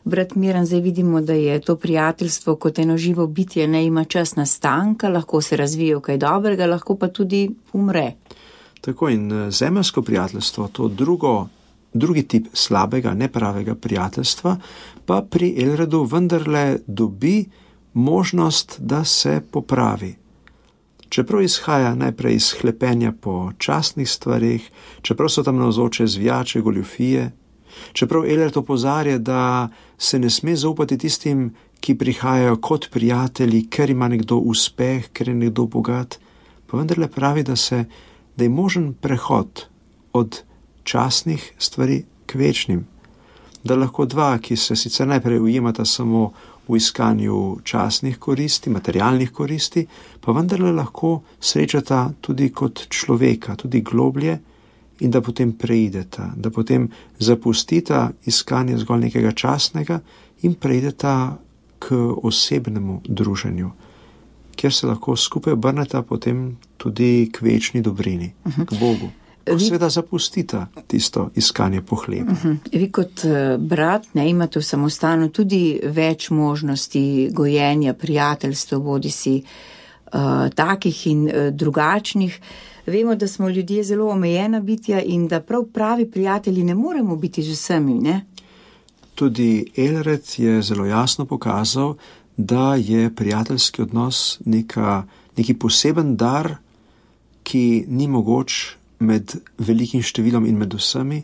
Brat Miran, zdaj vidimo, da je to prijateljstvo kot eno živo bitje, ne ima čas nastanka, lahko se razvije v kaj dobrega, lahko pa tudi umre. Tako in zemeljsko prijateljstvo, to drugo, drugi tip slabega, nepravega prijateljstva, pa pri Elredu vendarle dobi možnost, da se popravi. čeprav izhaja najprej iz hlepenja po častnih stvarih, čeprav so tam navzoče zvijače, goljufije, čeprav Ehlert opozarja, da se ne sme zaupati tistim, ki prihajajo kot prijatelji, ker ima nekdo uspeh, ker je nekdo bogat, pa vendarle pravi, da, se, da je možen prehod od častnih stvari k večnim. Da lahko dva, ki se sicer najprej ujemata samo v iskanju častnih koristi, materialnih koristi, pa vendarle lahko srečata tudi kot človeka, tudi globlje, in da potem preideta, da potem zapustita iskanje zgolj nekega častnega in preideta k osebnemu druženju, kjer se lahko skupaj obrneta potem tudi k večni dobrini, uh-huh. k Bogu. Seveda zapustita tisto iskanje po hlebu. Uh-huh. Vi kot brat ne imate v samostanu tudi več možnosti gojenja, prijateljstva, bodi si uh, takih in uh, drugačnih. Vemo, da smo ljudje zelo omejena bitja in da prav pravi prijatelji ne moremo biti z vsemi, ne? Tudi Ehlert je zelo jasno pokazal, da je prijateljski odnos neka, neki poseben dar, ki ni mogoč med velikim številom in med vsemi,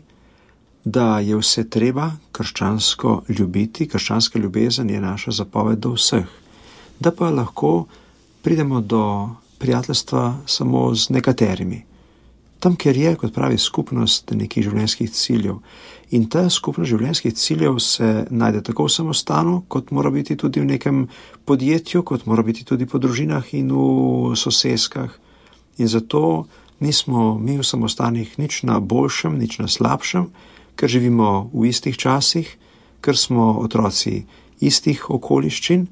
da je vse treba krščansko ljubiti, krščanska ljubezen je naša zapoved do vseh, da pa lahko pridemo do prijateljstva samo z nekaterimi. Tam, kjer je, kot pravi, skupnost nekih življenjskih ciljev. In ta skupnost življenjskih ciljev se najde tako v samostanu, kot mora biti tudi v nekem podjetju, kot mora biti tudi po družinah in v soseskah. In zato nismo mi v samostanih nič na boljšem, nič na slabšem, ker živimo v istih časih, ker smo otroci istih okoliščin,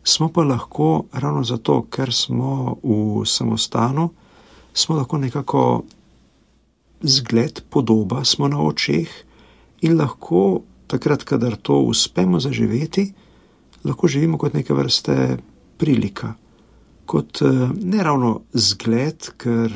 smo pa lahko ravno zato, ker smo v samostanu, smo lahko nekako zgled, podoba, smo na očeh in lahko takrat, kadar to uspemo zaživeti, lahko živimo kot neke vrste prilika. Kot ne ravno zgled, ker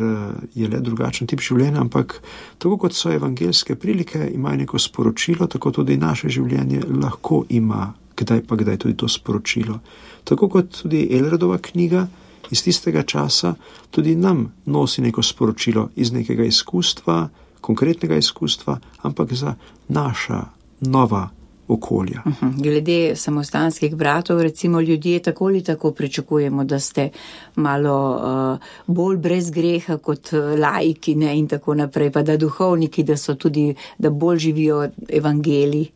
je le drugačen tip življenja, ampak tako kot so evangeljske prilike, imajo neko sporočilo, tako tudi naše življenje lahko ima kdaj pa kdaj tudi to sporočilo. Tako kot tudi Ehlerdova knjiga iz tistega časa tudi nam nosi neko sporočilo iz nekega izkustva, konkretnega izkustva, ampak za naša nova okolja. Glede samostanskih bratov, recimo ljudje tako ali tako pričakujemo, da ste malo uh, bolj brez greha kot laiki, ne, in tako naprej, pa da duhovniki, da so tudi, da bolj živijo evangelij.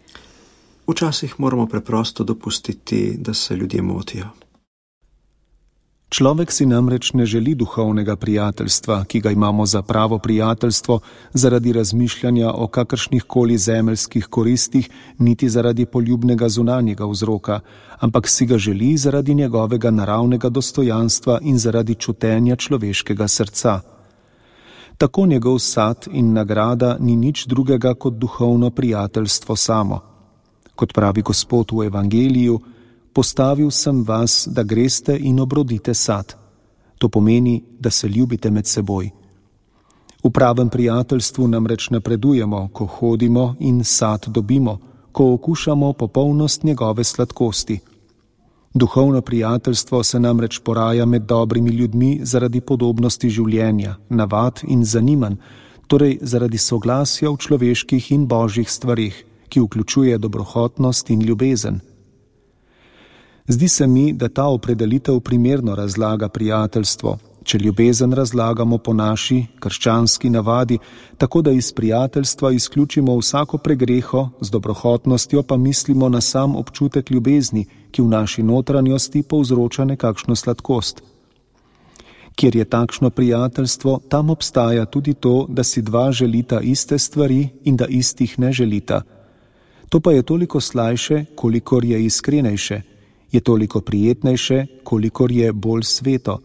Včasih moramo preprosto dopustiti, da se ljudje motijo. Človek si namreč ne želi duhovnega prijateljstva, ki ga imamo za pravo prijateljstvo, zaradi razmišljanja o kakršnih koli zemeljskih koristih, niti zaradi poljubnega zunanjega vzroka, ampak si ga želi zaradi njegovega naravnega dostojanstva in zaradi čutenja človeškega srca. Tako njegov sad in nagrada ni nič drugega kot duhovno prijateljstvo samo. Kot pravi Gospod v Evangeliju, postavil sem vas, da greste in obrodite sad. To pomeni, da se ljubite med seboj. V pravem prijateljstvu namreč napredujemo, ko hodimo in sad dobimo, ko okušamo popolnost njegove sladkosti. Duhovno prijateljstvo se namreč poraja med dobrimi ljudmi zaradi podobnosti življenja, navad in zanimanj, torej zaradi soglasja v človeških in božjih stvarih, ki vključuje dobrohotnost in ljubezen. Zdi se mi, da ta opredelitev primerno razlaga prijateljstvo, če ljubezen razlagamo po naši krščanski navadi, tako da iz prijateljstva izključimo vsako pregreho, z dobrohotnostjo pa mislimo na sam občutek ljubezni, ki v naši notranjosti povzroča nekakšno sladkost. Kjer je takšno prijateljstvo, tam obstaja tudi to, da si dva želita iste stvari in da istih ne želita. To pa je toliko slajše, kolikor je iskrenejše, je toliko prijetnejše, kolikor je bolj sveto.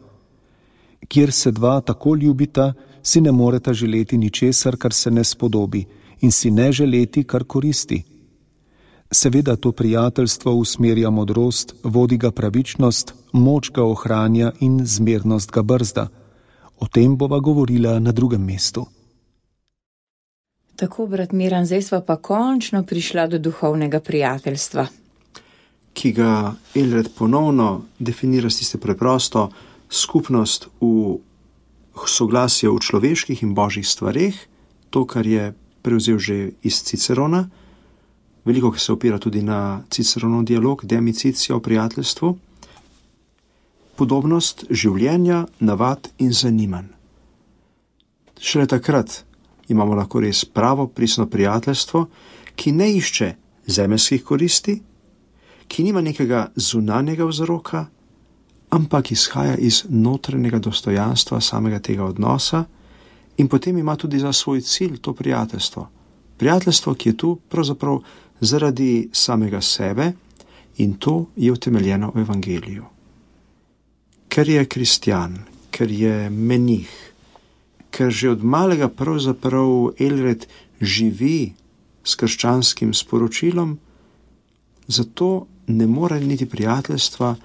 Kjer se dva tako ljubita, si ne moreta želeti ničesar, kar se ne spodobi, in si ne želeti, kar koristi. Seveda to prijateljstvo usmerja modrost, vodi ga pravičnost, moč ga ohranja in zmernost ga brzda. O tem bova govorila na drugem mestu. Tako, brat Miran, zdaj sva pa končno prišla do duhovnega prijateljstva. Ki ga Ehlert ponovno definira s tiste preprosto skupnost v soglasje v človeških in božjih stvareh, to, kar je prevzel že iz Cicerona, veliko se opira tudi na Ciceronov dialog, demicicija o prijateljstvu, podobnost življenja, navad in zanimanj. Šele takrat imamo lahko res pravo, pristno prijateljstvo, ki ne išče zemeljskih koristi, ki nima nekega zunanjega vzroka, ampak izhaja iz notranjega dostojanstva samega tega odnosa in potem ima tudi za svoj cilj to prijateljstvo. Prijateljstvo, ki je tu pravzaprav zaradi samega sebe in to je utemeljeno v evangeliju. Ker je kristjan, ker je menih, ker že od malega pravzaprav Elred živi s krščanskim sporočilom, zato ne more niti prijateljstva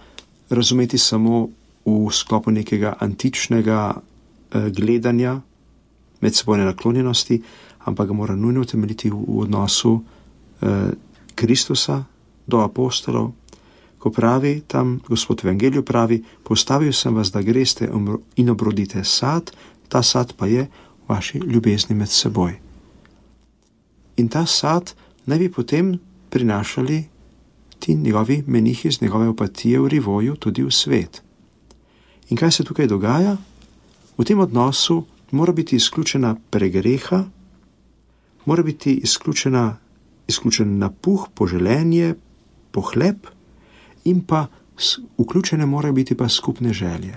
razumeti samo v sklopu nekega antičnega eh, gledanja, medsebojne naklonjenosti, ampak ga mora nujno utemeljiti v, v odnosu eh, Kristusa do apostolov, ko pravi tam, Gospod v Evangeliju pravi, postavil sem vas, da greste in obrodite sad, ta sad pa je vaši ljubezni med seboj. In ta sad naj bi potem prinašali ti njegovi menihi z njegove opatije v Rivoju tudi v svet. In kaj se tukaj dogaja? V tem odnosu mora biti izključena pregreha, mora biti izključena, izključen napuh, poželenje, pohlep in pa vključene morajo biti pa skupne želje.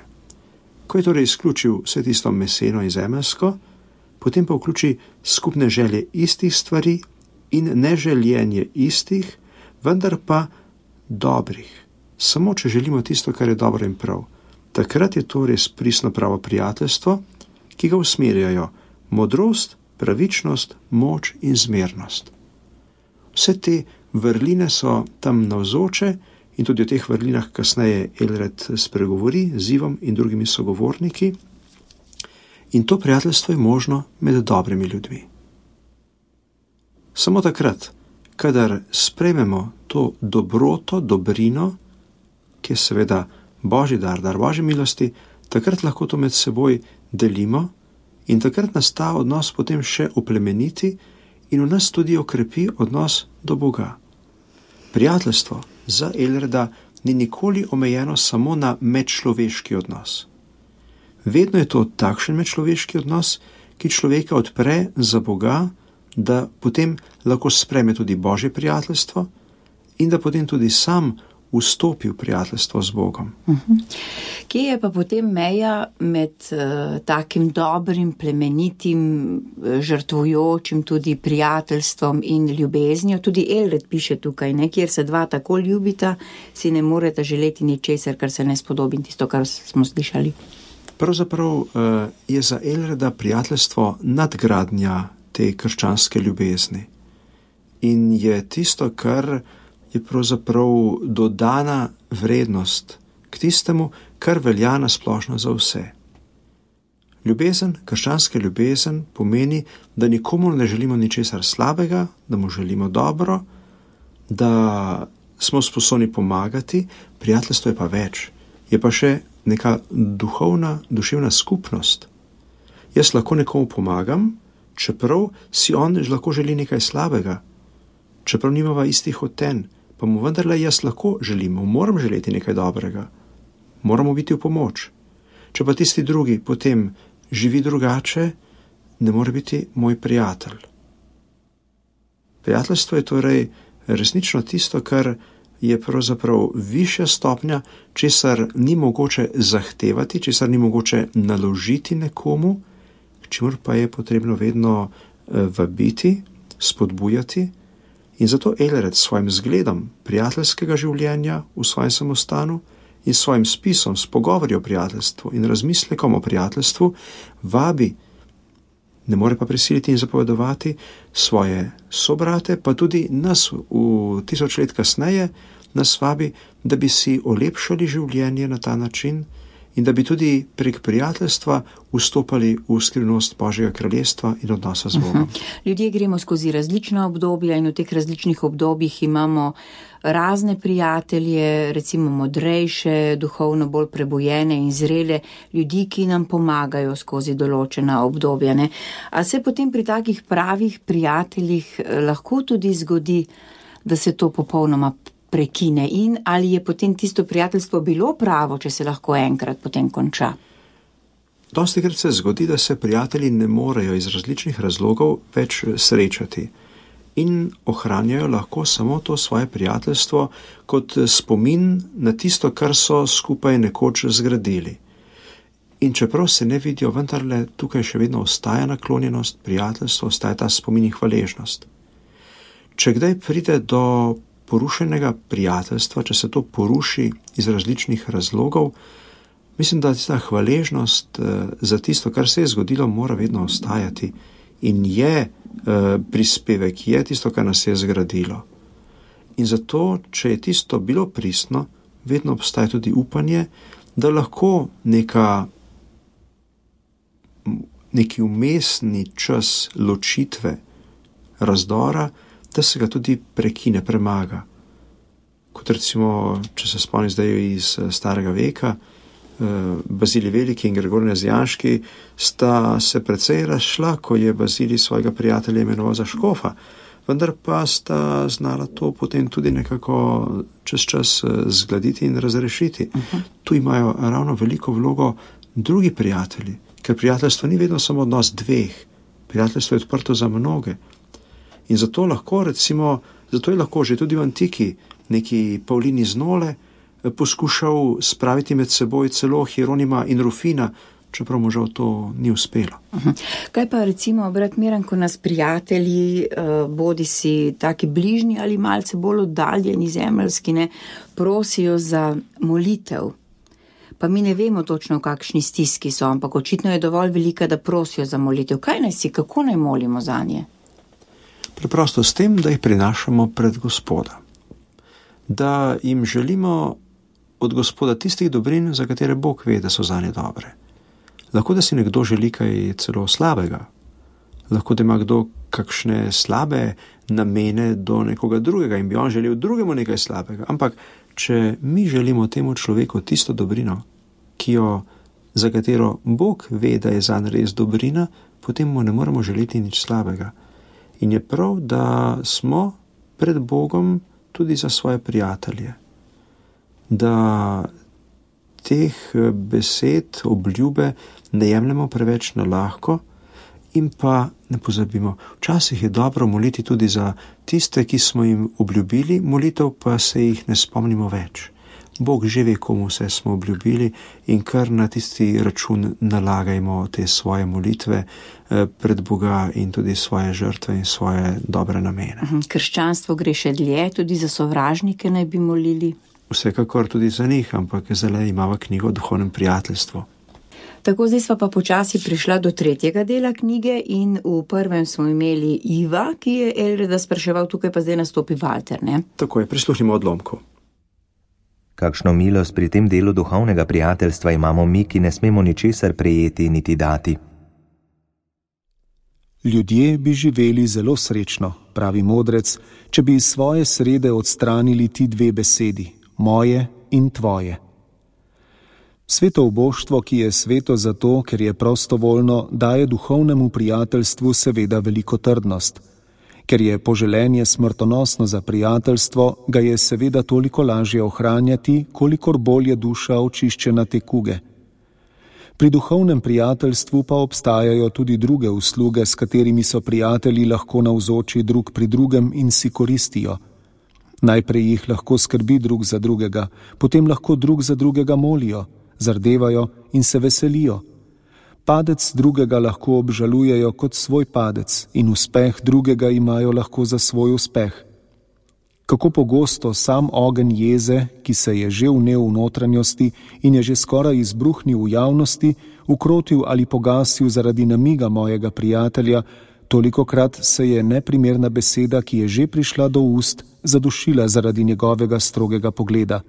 Ko je torej izključil vse tisto meseno in zemeljsko, potem pa vključi skupne želje istih stvari in neželjenje istih, vendar pa dobrih. Samo če želimo tisto, kar je dobro in prav. Takrat je to res pristno pravo prijateljstvo, ki ga usmerjajo modrost, pravičnost, moč in zmernost. Vse te vrline so tam navzoče in tudi o teh vrlinah kasneje Elred spregovori z Ivom in drugimi sogovorniki. In to prijateljstvo je možno med dobrimi ljudmi. Samo takrat, kadar sprejmemo to dobroto, dobrino, ki je seveda Božji dar, dar Božje milosti, takrat lahko to med seboj delimo in takrat nas ta odnos potem še oplemeniti in v nas tudi okrepi odnos do Boga. Prijateljstvo za Elreda ni nikoli omejeno samo na medčloveški odnos. Vedno je to takšen medčloveški odnos, ki človeka odpre za Boga, da potem lahko sprejme tudi Božje prijateljstvo in da potem tudi sam vstopi v prijateljstvo z Bogom. Uh-huh. Kje je pa potem meja med uh, takim dobrim, plemenitim, žrtvujočim tudi prijateljstvom in ljubeznijo? Tudi Elred piše tukaj, ne? Kjer se dva tako ljubita, si ne moreta želeti ničesar, kar se ne spodobi, tisto, kar smo slišali. Pravzaprav uh, je za Elreda prijateljstvo nadgradnja te krščanske ljubezni. In je tisto, kar je pravzaprav dodana vrednost k tistemu, kar velja na splošno za vse. Ljubezen, krščanska ljubezen pomeni, da nikomu ne želimo ničesar slabega, da mu želimo dobro, da smo sposobni pomagati, prijateljstvo je pa več. Je pa še neka duhovna, duševna skupnost. Jaz lahko nekomu pomagam, čeprav si on lahko želi nekaj slabega, čeprav nimava istih hoten, pa mu vendarle jaz lahko želim, moram želeti nekaj dobrega, moramo biti v pomoč. Če pa tisti drugi potem živi drugače, ne more biti moj prijatelj. Prijateljstvo je torej resnično tisto, kar je pravzaprav višja stopnja, česar ni mogoče zahtevati, česar ni mogoče naložiti nekomu, čemur pa je potrebno vedno vabiti, spodbujati. In zato Elred s svojim zgledom prijateljskega življenja v svojem samostanu in s svojim spisom, s pogovori o prijateljstvu in razmislekom o prijateljstvu vabi, ne more pa prisiliti in zapovedovati svoje sobrate, pa tudi nas v tisoč let kasneje nas vabi, da bi si olepšali življenje na ta način in da bi tudi prek prijateljstva vstopali v skrivnost Božjega kraljestva in odnosa z Bogom. Ljudje gremo skozi različna obdobja in v teh različnih obdobjih imamo razne prijatelje, recimo modrejše, duhovno bolj prebujene in zrele ljudi, ki nam pomagajo skozi določena obdobja. Ne? A se potem pri takih pravih prijateljih lahko tudi zgodi, da se to popolnoma prekine in ali je potem tisto prijateljstvo bilo pravo, če se lahko enkrat potem konča? Dostikrat se zgodi, da se prijatelji ne morejo iz različnih razlogov več srečati in ohranjajo lahko samo to svoje prijateljstvo kot spomin na tisto, kar so skupaj nekoč zgradili. In čeprav se ne vidijo, vendarle tukaj še vedno ostaja naklonjenost, prijateljstvo, ostaja ta spomin in hvaležnost. Če kdaj pride do porušenega prijateljstva, če se to poruši iz različnih razlogov, mislim, da ta hvaležnost za tisto, kar se je zgodilo, mora vedno ostajati in je prispevek, je tisto, kar nas je zgradilo. In zato, če je tisto bilo pristno, vedno obstaja tudi upanje, da lahko neka, neki umestni čas ločitve, razdora, da se ga tudi prekine, premaga. Kot recimo, če se spomnim zdaj iz starega veka, Bazilij Veliki in Gregor Nazijanški sta se precej razšla, ko je Bazilij svojega prijatelja imenoval za škofa, vendar pa sta znala to potem tudi nekako čez čas zgladiti in razrešiti. Uh-huh. Tu imajo ravno veliko vlogo drugi prijatelji, ker prijateljstvo ni vedno samo odnos dveh, prijateljstvo je odprto za mnoge. In zato lahko, recimo, zato je lahko že tudi v antiki neki Pavlin iz Nole poskušal spraviti med seboj celo Hieronima in Rufina, čeprav mu žal to ni uspelo. Uh-huh. Kaj pa recimo, brat Miran, ko nas prijatelji, bodi si taki bližnji ali malce bolj oddaljeni zemeljski, ne, prosijo za molitev. Pa mi ne vemo točno, v kakšni stiski so, ampak očitno je dovolj velika, da prosijo za molitev. Kaj naj si, kako naj molimo za nje? Preprosto s tem, da jih prinašamo pred Gospoda. Da jim želimo od Gospoda tistih dobrin, za katere Bog ve, da so zanje dobre. Lahko, da si nekdo želi kaj celo slabega. Lahko, da ima kdo kakšne slabe namene do nekoga drugega in bi on želel drugemu nekaj slabega. Ampak, če mi želimo temu človeku tisto dobrino, ki jo, za katero Bog ve, da je zanj res dobrina, potem mu ne moremo želeti nič slabega. In je prav, da smo pred Bogom tudi za svoje prijatelje. Da teh besed, obljube ne jemljemo preveč na lahko in pa ne pozabimo. Včasih je dobro moliti tudi za tiste, ki smo jim obljubili, molitev pa se jih ne spomnimo več. Bog že ve, komu vse smo obljubili in kar na tisti račun nalagajmo te svoje molitve pred Boga in tudi svoje žrtve in svoje dobre namene. Krščanstvo gre še dlje, tudi za sovražnike naj bi molili? Vsekakor tudi za njih, ampak zdaj imamo knjigo o duhovnem prijateljstvu. Tako, zdaj sva pa počasi prišla do tretjega dela knjige in v prvem smo imeli Iva, ki je Elreda spraševal, tukaj pa zdaj nastopi Walter, ne? Tako je, prisluhnimo odlomku. Kakšno milost pri tem delu duhovnega prijateljstva imamo mi, ki ne smemo ničesar prejeti niti dati. Ljudje bi živeli zelo srečno, pravi modrec, če bi iz svoje srede odstranili ti dve besedi, moje in tvoje. Sveto oboštvo, ki je sveto zato, ker je prostovoljno, daje duhovnemu prijateljstvu seveda veliko trdnost. Ker je poželenje smrtonosno za prijateljstvo, ga je seveda toliko lažje ohranjati, kolikor bolj je duša očiščena te kuge. Pri duhovnem prijateljstvu pa obstajajo tudi druge usluge, s katerimi so prijatelji lahko navzoči drug pri drugem in si koristijo. Najprej jih lahko skrbi drug za drugega, potem lahko drug za drugega molijo, zardevajo in se veselijo. Padec drugega lahko obžalujejo kot svoj padec in uspeh drugega imajo lahko za svoj uspeh. Kako pogosto sam ogenj jeze, ki se je že vnel v notranjosti in je že skoraj izbruhnil v javnosti, ukrotil ali pogasil zaradi namiga mojega prijatelja, tolikokrat se je neprimerna beseda, ki je že prišla do ust, zadušila zaradi njegovega strogega pogleda.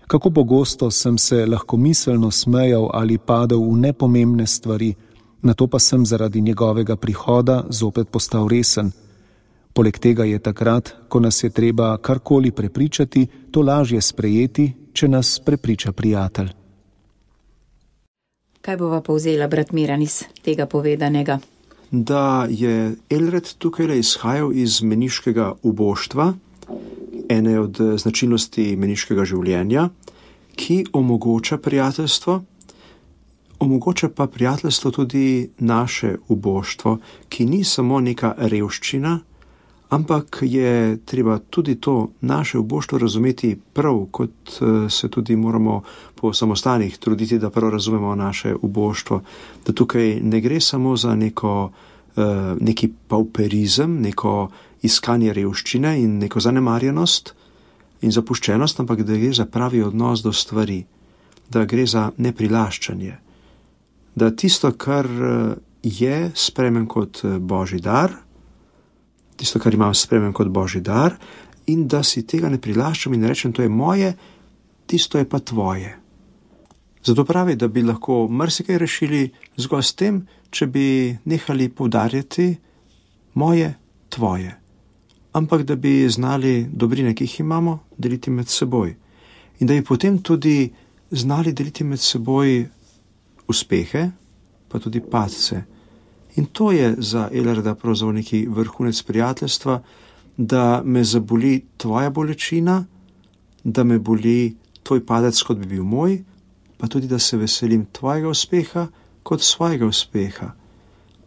Kako pogosto sem se lahkomiselno smejal ali padel v nepomembne stvari, nato pa sem zaradi njegovega prihoda zopet postal resen. Poleg tega je takrat, ko nas je treba karkoli prepričati, to lažje sprejeti, če nas prepriča prijatelj. Kaj bova povzela, brat Miran, iz tega povedanega? Da je Elred tukaj izhajal iz meniškega uboštva, ene od značilnosti meniškega življenja, ki omogoča prijateljstvo, omogoča pa prijateljstvo tudi naše uboštvo, ki ni samo neka revščina, ampak je treba tudi to naše uboštvo razumeti prav, kot se tudi moramo po samostanih truditi, da prav razumemo naše uboštvo. Da tukaj ne gre samo za neko, neki pauperizem, neko iskanje revščine in neko zanemarjenost in zapuščenost, ampak da gre za pravi odnos do stvari, da gre za neprilaščanje. Da tisto, kar je, sprejmem kot Božji dar, tisto, kar imam, sprejmem kot Božji dar, in da si tega ne prilaščam in rečem, to je moje, tisto je pa tvoje. Zato pravi, da bi lahko marsikaj rešili zgolj s tem, če bi nehali poudarjati moje, tvoje. Ampak da bi znali dobrine, ki jih imamo, deliti med seboj. In da bi potem tudi znali deliti med seboj uspehe, pa tudi padce. In to je za Elreda pravzaprav neki vrhunec prijateljstva, da me zaboli tvoja bolečina, da me boli tvoj padec, kot bi bil moj, pa tudi da se veselim tvojega uspeha kot svojega uspeha.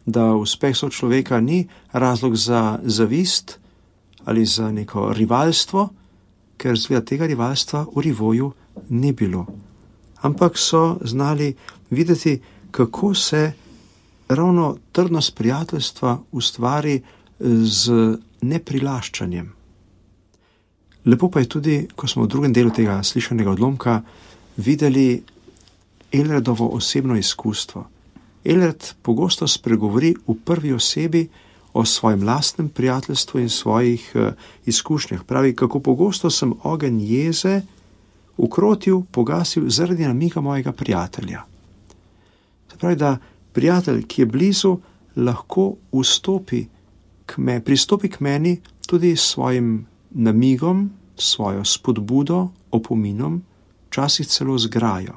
Da uspeh sočloveka ni razlog za zavist ali za neko rivalstvo, ker zgleda tega rivalstva v Rivoju ni bilo. Ampak so znali videti, kako se ravno trdnost prijateljstva ustvari z neprilaščanjem. Lepo pa je tudi, ko smo v drugem delu tega slišanega odlomka videli Elredovo osebno izkustvo. Elred pogosto spregovori v prvi osebi o svojem lastnem prijateljstvu in svojih uh, izkušnjah. Pravi, kako pogosto sem ogenj jeze ukrotil, pogasil zaradi namiga mojega prijatelja. Se pravi, da prijatelj, ki je blizu, lahko vstopi k me, pristopi k meni tudi s svojim namigom, svojo spodbudo, opominom, včasih celo z grajo.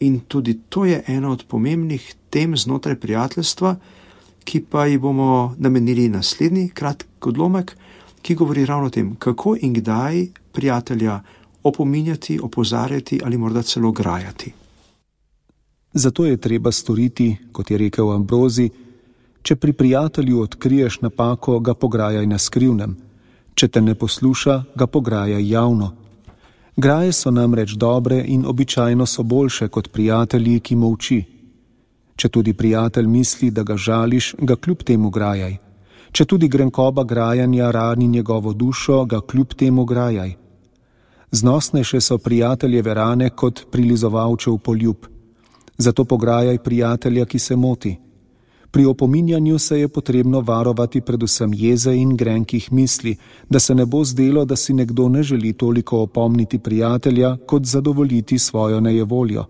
In tudi to je ena od pomembnih tem znotraj prijateljstva, ki pa ji bomo namenili naslednji kratki odlomek, ki govori ravno o tem, kako in kdaj prijatelja opominjati, opozarjati ali morda celo grajati. Zato je treba storiti, kot je rekel Ambrozi, če pri prijatelju odkriješ napako, ga pograjaj na skrivnem, če te ne posluša, ga pograjaj javno. Graje so namreč dobre in običajno so boljše kot prijatelji, ki molči. Če tudi prijatelj misli, da ga žališ, ga kljub temu grajaj. Če tudi grenkoba grajanja rani njegovo dušo, ga kljub temu grajaj. Znosnejše so prijateljeve rane kot prilizovalčev poljub. Zato pograjaj prijatelja, ki se moti. Pri opominjanju se je potrebno varovati predvsem jeze in grenkih misli, da se ne bo zdelo, da si nekdo ne želi toliko opomniti prijatelja, kot zadovoljiti svojo nejevoljo.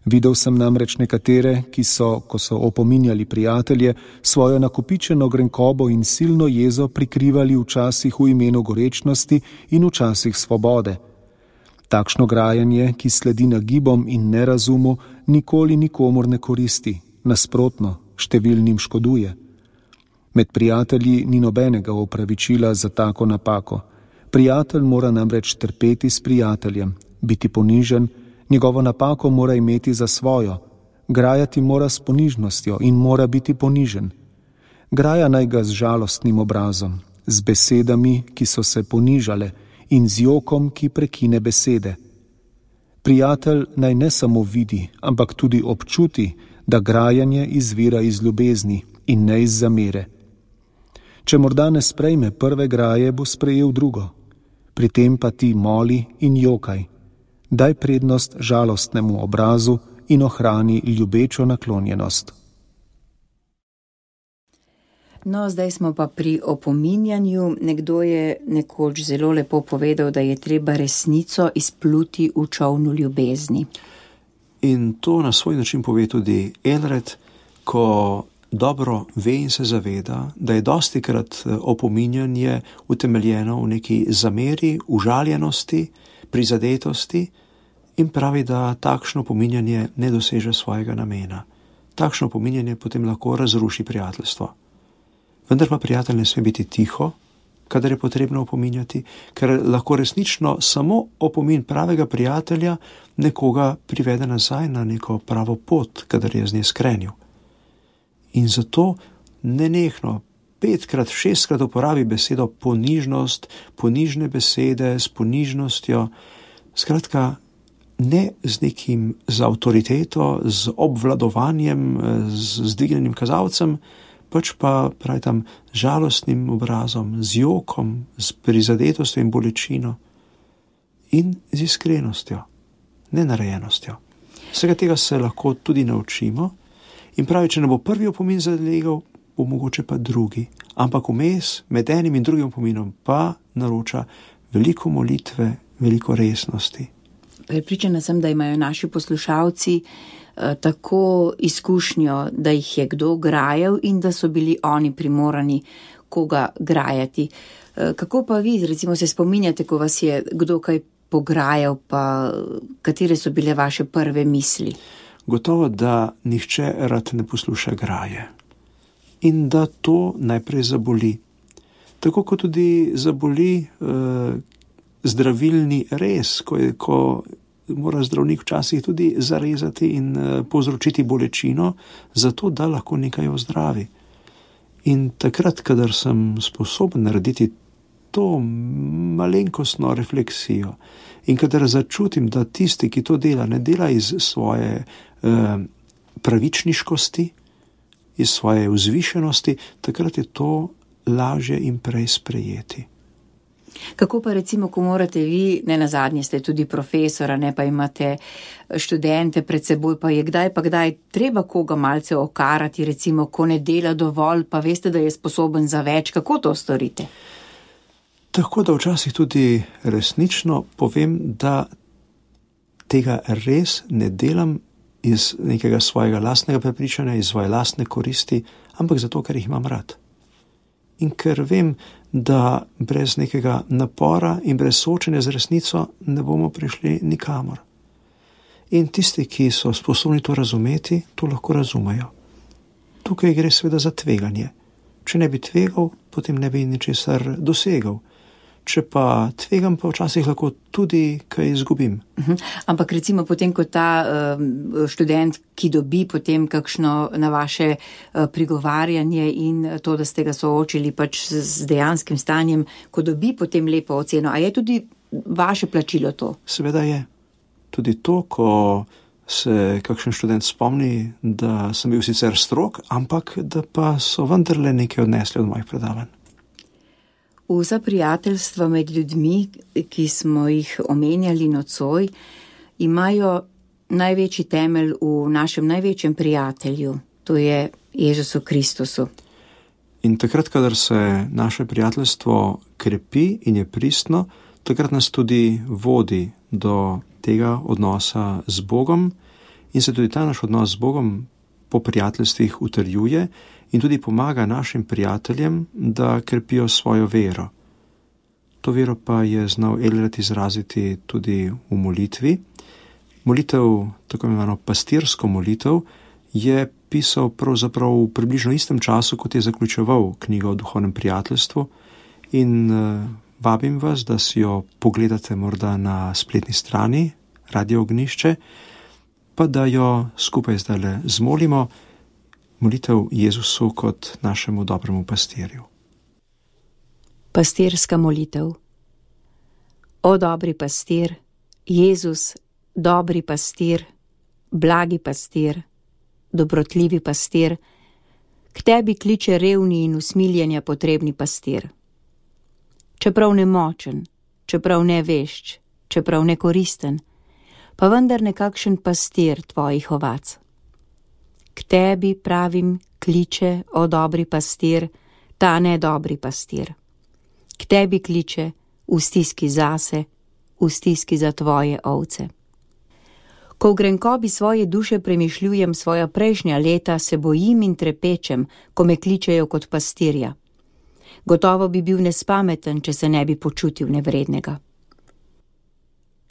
Videl sem namreč nekatere, ki so, ko so opominjali prijatelje, svojo nakopičeno grenkobo in silno jezo prikrivali včasih v imenu gorečnosti in včasih svobode. Takšno grajanje, ki sledi nagibom in nerazumu, nikoli nikomur ne koristi, nasprotno, številnim škoduje. Med prijatelji ni nobenega opravičila za tako napako. Prijatelj mora namreč trpeti s prijateljem, biti ponižen, njegovo napako mora imeti za svojo, grajati mora s ponižnostjo in mora biti ponižen. Graja naj ga z žalostnim obrazom, z besedami, ki so se ponižale, in z jokom, ki prekine besede. Prijatelj naj ne samo vidi, ampak tudi občuti, da grajanje izvira iz ljubezni in ne iz zamere. Če morda ne sprejme prve graje, bo sprejel drugo. Pri tem pa ti moli in jokaj. Daj prednost žalostnemu obrazu in ohrani ljubečo naklonjenost. No, zdaj smo pa pri opominjanju. Nekdo je nekoč zelo lepo povedal, da je treba resnico izpluti v čovnu ljubezni. In to na svoj način pove tudi Eldred, ko dobro ve in se zaveda, da je dostikrat opominjanje utemeljeno v neki zameri, užaljenosti, prizadetosti in pravi, da takšno opominjanje ne doseže svojega namena. Takšno opominjanje potem lahko razruši prijateljstvo. Vendar pa prijatelj ne sme biti tiho, kadar je potrebno opominjati, ker lahko resnično samo opomin pravega prijatelja nekoga privede nazaj na neko pravo pot, kadar je z nje skrenil. In zato nenehno, petkrat, šestkrat uporabi besedo ponižnost, ponižne besede s ponižnostjo, skratka, ne z nekim, z avtoriteto, z obvladovanjem, z zdvignjenim kazalcem, pač pa pravi tam žalostnim obrazom, z jokom, z prizadetostjo in bolečino in z iskrenostjo, nenarejenostjo. Vsega tega se lahko tudi naučimo in pravi, če ne bo prvi opomin zalegel, bo mogoče pa drugi, ampak vmes med enim in drugim opominom pa naroča veliko molitve, veliko resnosti. Prepričana sem, da imajo naši poslušalci eh, tako izkušnjo, da jih je kdo grajal in da so bili oni primorani koga grajati. Eh, kako pa vi, recimo, se spominjate, ko vas je kdo kaj pograjal, pa katere so bile vaše prve misli? Gotovo, da nihče rad ne posluša graje in da to najprej zaboli. Tako kot tudi zaboli eh, zdravilni rez, ko, je, ko mora zdravnik včasih tudi zarezati in uh, povzročiti bolečino, zato da lahko nekaj ozdravi. In takrat, kadar sem sposoben narediti to malenkostno refleksijo in kadar začutim, da tisti, ki to dela, ne dela iz svoje uh, pravičniškosti, iz svoje vzvišenosti, takrat je to lažje in prej sprejeti. Kako pa recimo, ko morate vi, ne nazadnje ste tudi profesora, ne pa imate študente pred seboj, pa je kdaj pa kdaj treba koga malce okarati, recimo, ko ne dela dovolj, pa veste, da je sposoben za več, kako to storite? Tako da včasih tudi resnično povem, da tega res ne delam iz nekega svojega lastnega prepričanja, iz svoje lastne koristi, ampak zato, ker jih imam rad. In ker vem, da brez nekega napora in brez soočenja z resnico ne bomo prišli nikamor. In tisti, ki so sposobni to razumeti, to lahko razumejo. Tukaj gre seveda za tveganje. Če ne bi tvegal, potem ne bi ničesar dosegal. Če pa tvegam, pa včasih lahko tudi kaj izgubim. Uh-huh. Ampak recimo potem, ko ta uh, študent, ki dobi potem kakšno na vaše uh, prigovarjanje in to, da ste ga soočili pač z, z dejanskim stanjem, ko dobi potem lepo oceno, a je tudi vaše plačilo to? Seveda je. Tudi to, ko se kakšen študent spomni, da sem bil sicer strog, ampak da pa so vendarle nekaj odnesli od mojih predavanj. Vsa prijateljstva med ljudmi, ki smo jih omenjali nocoj, imajo največji temelj v našem največjem prijatelju, to je Jezusu Kristusu. In takrat, kadar se naše prijateljstvo krepi in je pristno, takrat nas tudi vodi do tega odnosa z Bogom in se tudi ta naš odnos z Bogom po prijateljstvih utrjuje in tudi pomaga našim prijateljem, da krepijo svojo vero. To vero pa je znal Eldred izraziti tudi v molitvi. Molitev, tako imenovano pastirsko molitev, je pisal pravzaprav v približno istem času, kot je zaključeval knjigo o duhovnem prijateljstvu in uh, vabim vas, da si jo pogledate morda na spletni strani Radio Ognišče, pa da jo skupaj zdajle zmolimo, molitev Jezusu kot našemu dobremu pastirju. Pastirska molitev. O dobri pastir, Jezus, dobri pastir, blagi pastir, dobrotljivi pastir, k tebi kliče revni in usmiljenja potrebni pastir. Čeprav nemočen, čeprav nevešč, čeprav nekoristen, pa vendar nekakšen pastir tvojih ovac. K tebi, pravim, kliče, o dobri pastir, ta nedobri pastir. K tebi kliče, v stiski zase, v stiski za tvoje ovce. Ko v grenkobi svoje duše premišljujem svoja prejšnja leta, se bojim in trepečem, ko me kličejo kot pastirja. Gotovo bi bil nespameten, če se ne bi počutil nevrednega.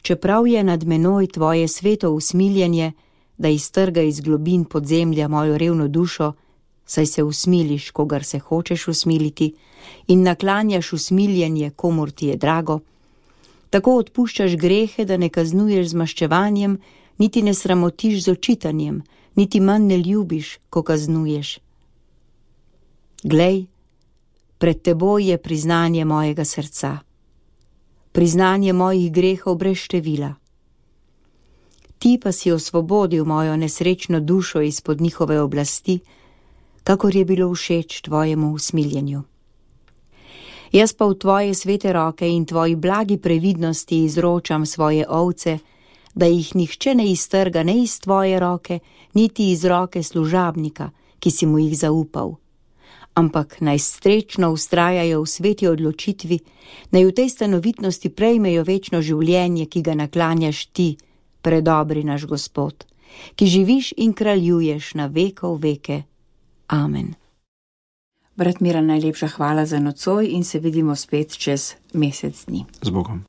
Čeprav je nad menoj tvoje sveto usmiljenje, da iztrga iz globin podzemlja mojo revno dušo, saj se usmiliš, kogar se hočeš usmiliti, in naklanjaš usmiljenje, komur ti je drago, tako odpuščaš grehe, da ne kaznuješ z maščevanjem, niti ne sramotiš z očitanjem, niti manj ne ljubiš, ko kaznuješ. Glej, pred teboj je priznanje mojega srca, priznanje mojih grehov brez števila. Ti pa si osvobodil mojo nesrečno dušo izpod njihove oblasti, kakor je bilo všeč tvojemu usmiljenju. Jaz pa v tvoje svete roke in tvoji blagi previdnosti izročam svoje ovce, da jih nihče ne iztrga ne iz tvoje roke, niti iz roke služabnika, ki si mu jih zaupal. Ampak naj srečno vztrajajo v sveti odločitvi, naj v tej stanovitnosti prejmejo večno življenje, ki ga naklanjaš ti, predobri naš Gospod, ki živiš in kraljuješ na vekov veke. Amen. Brat Miran, najlepša hvala za nocoj in se vidimo spet čez mesec dni. Z Bogom.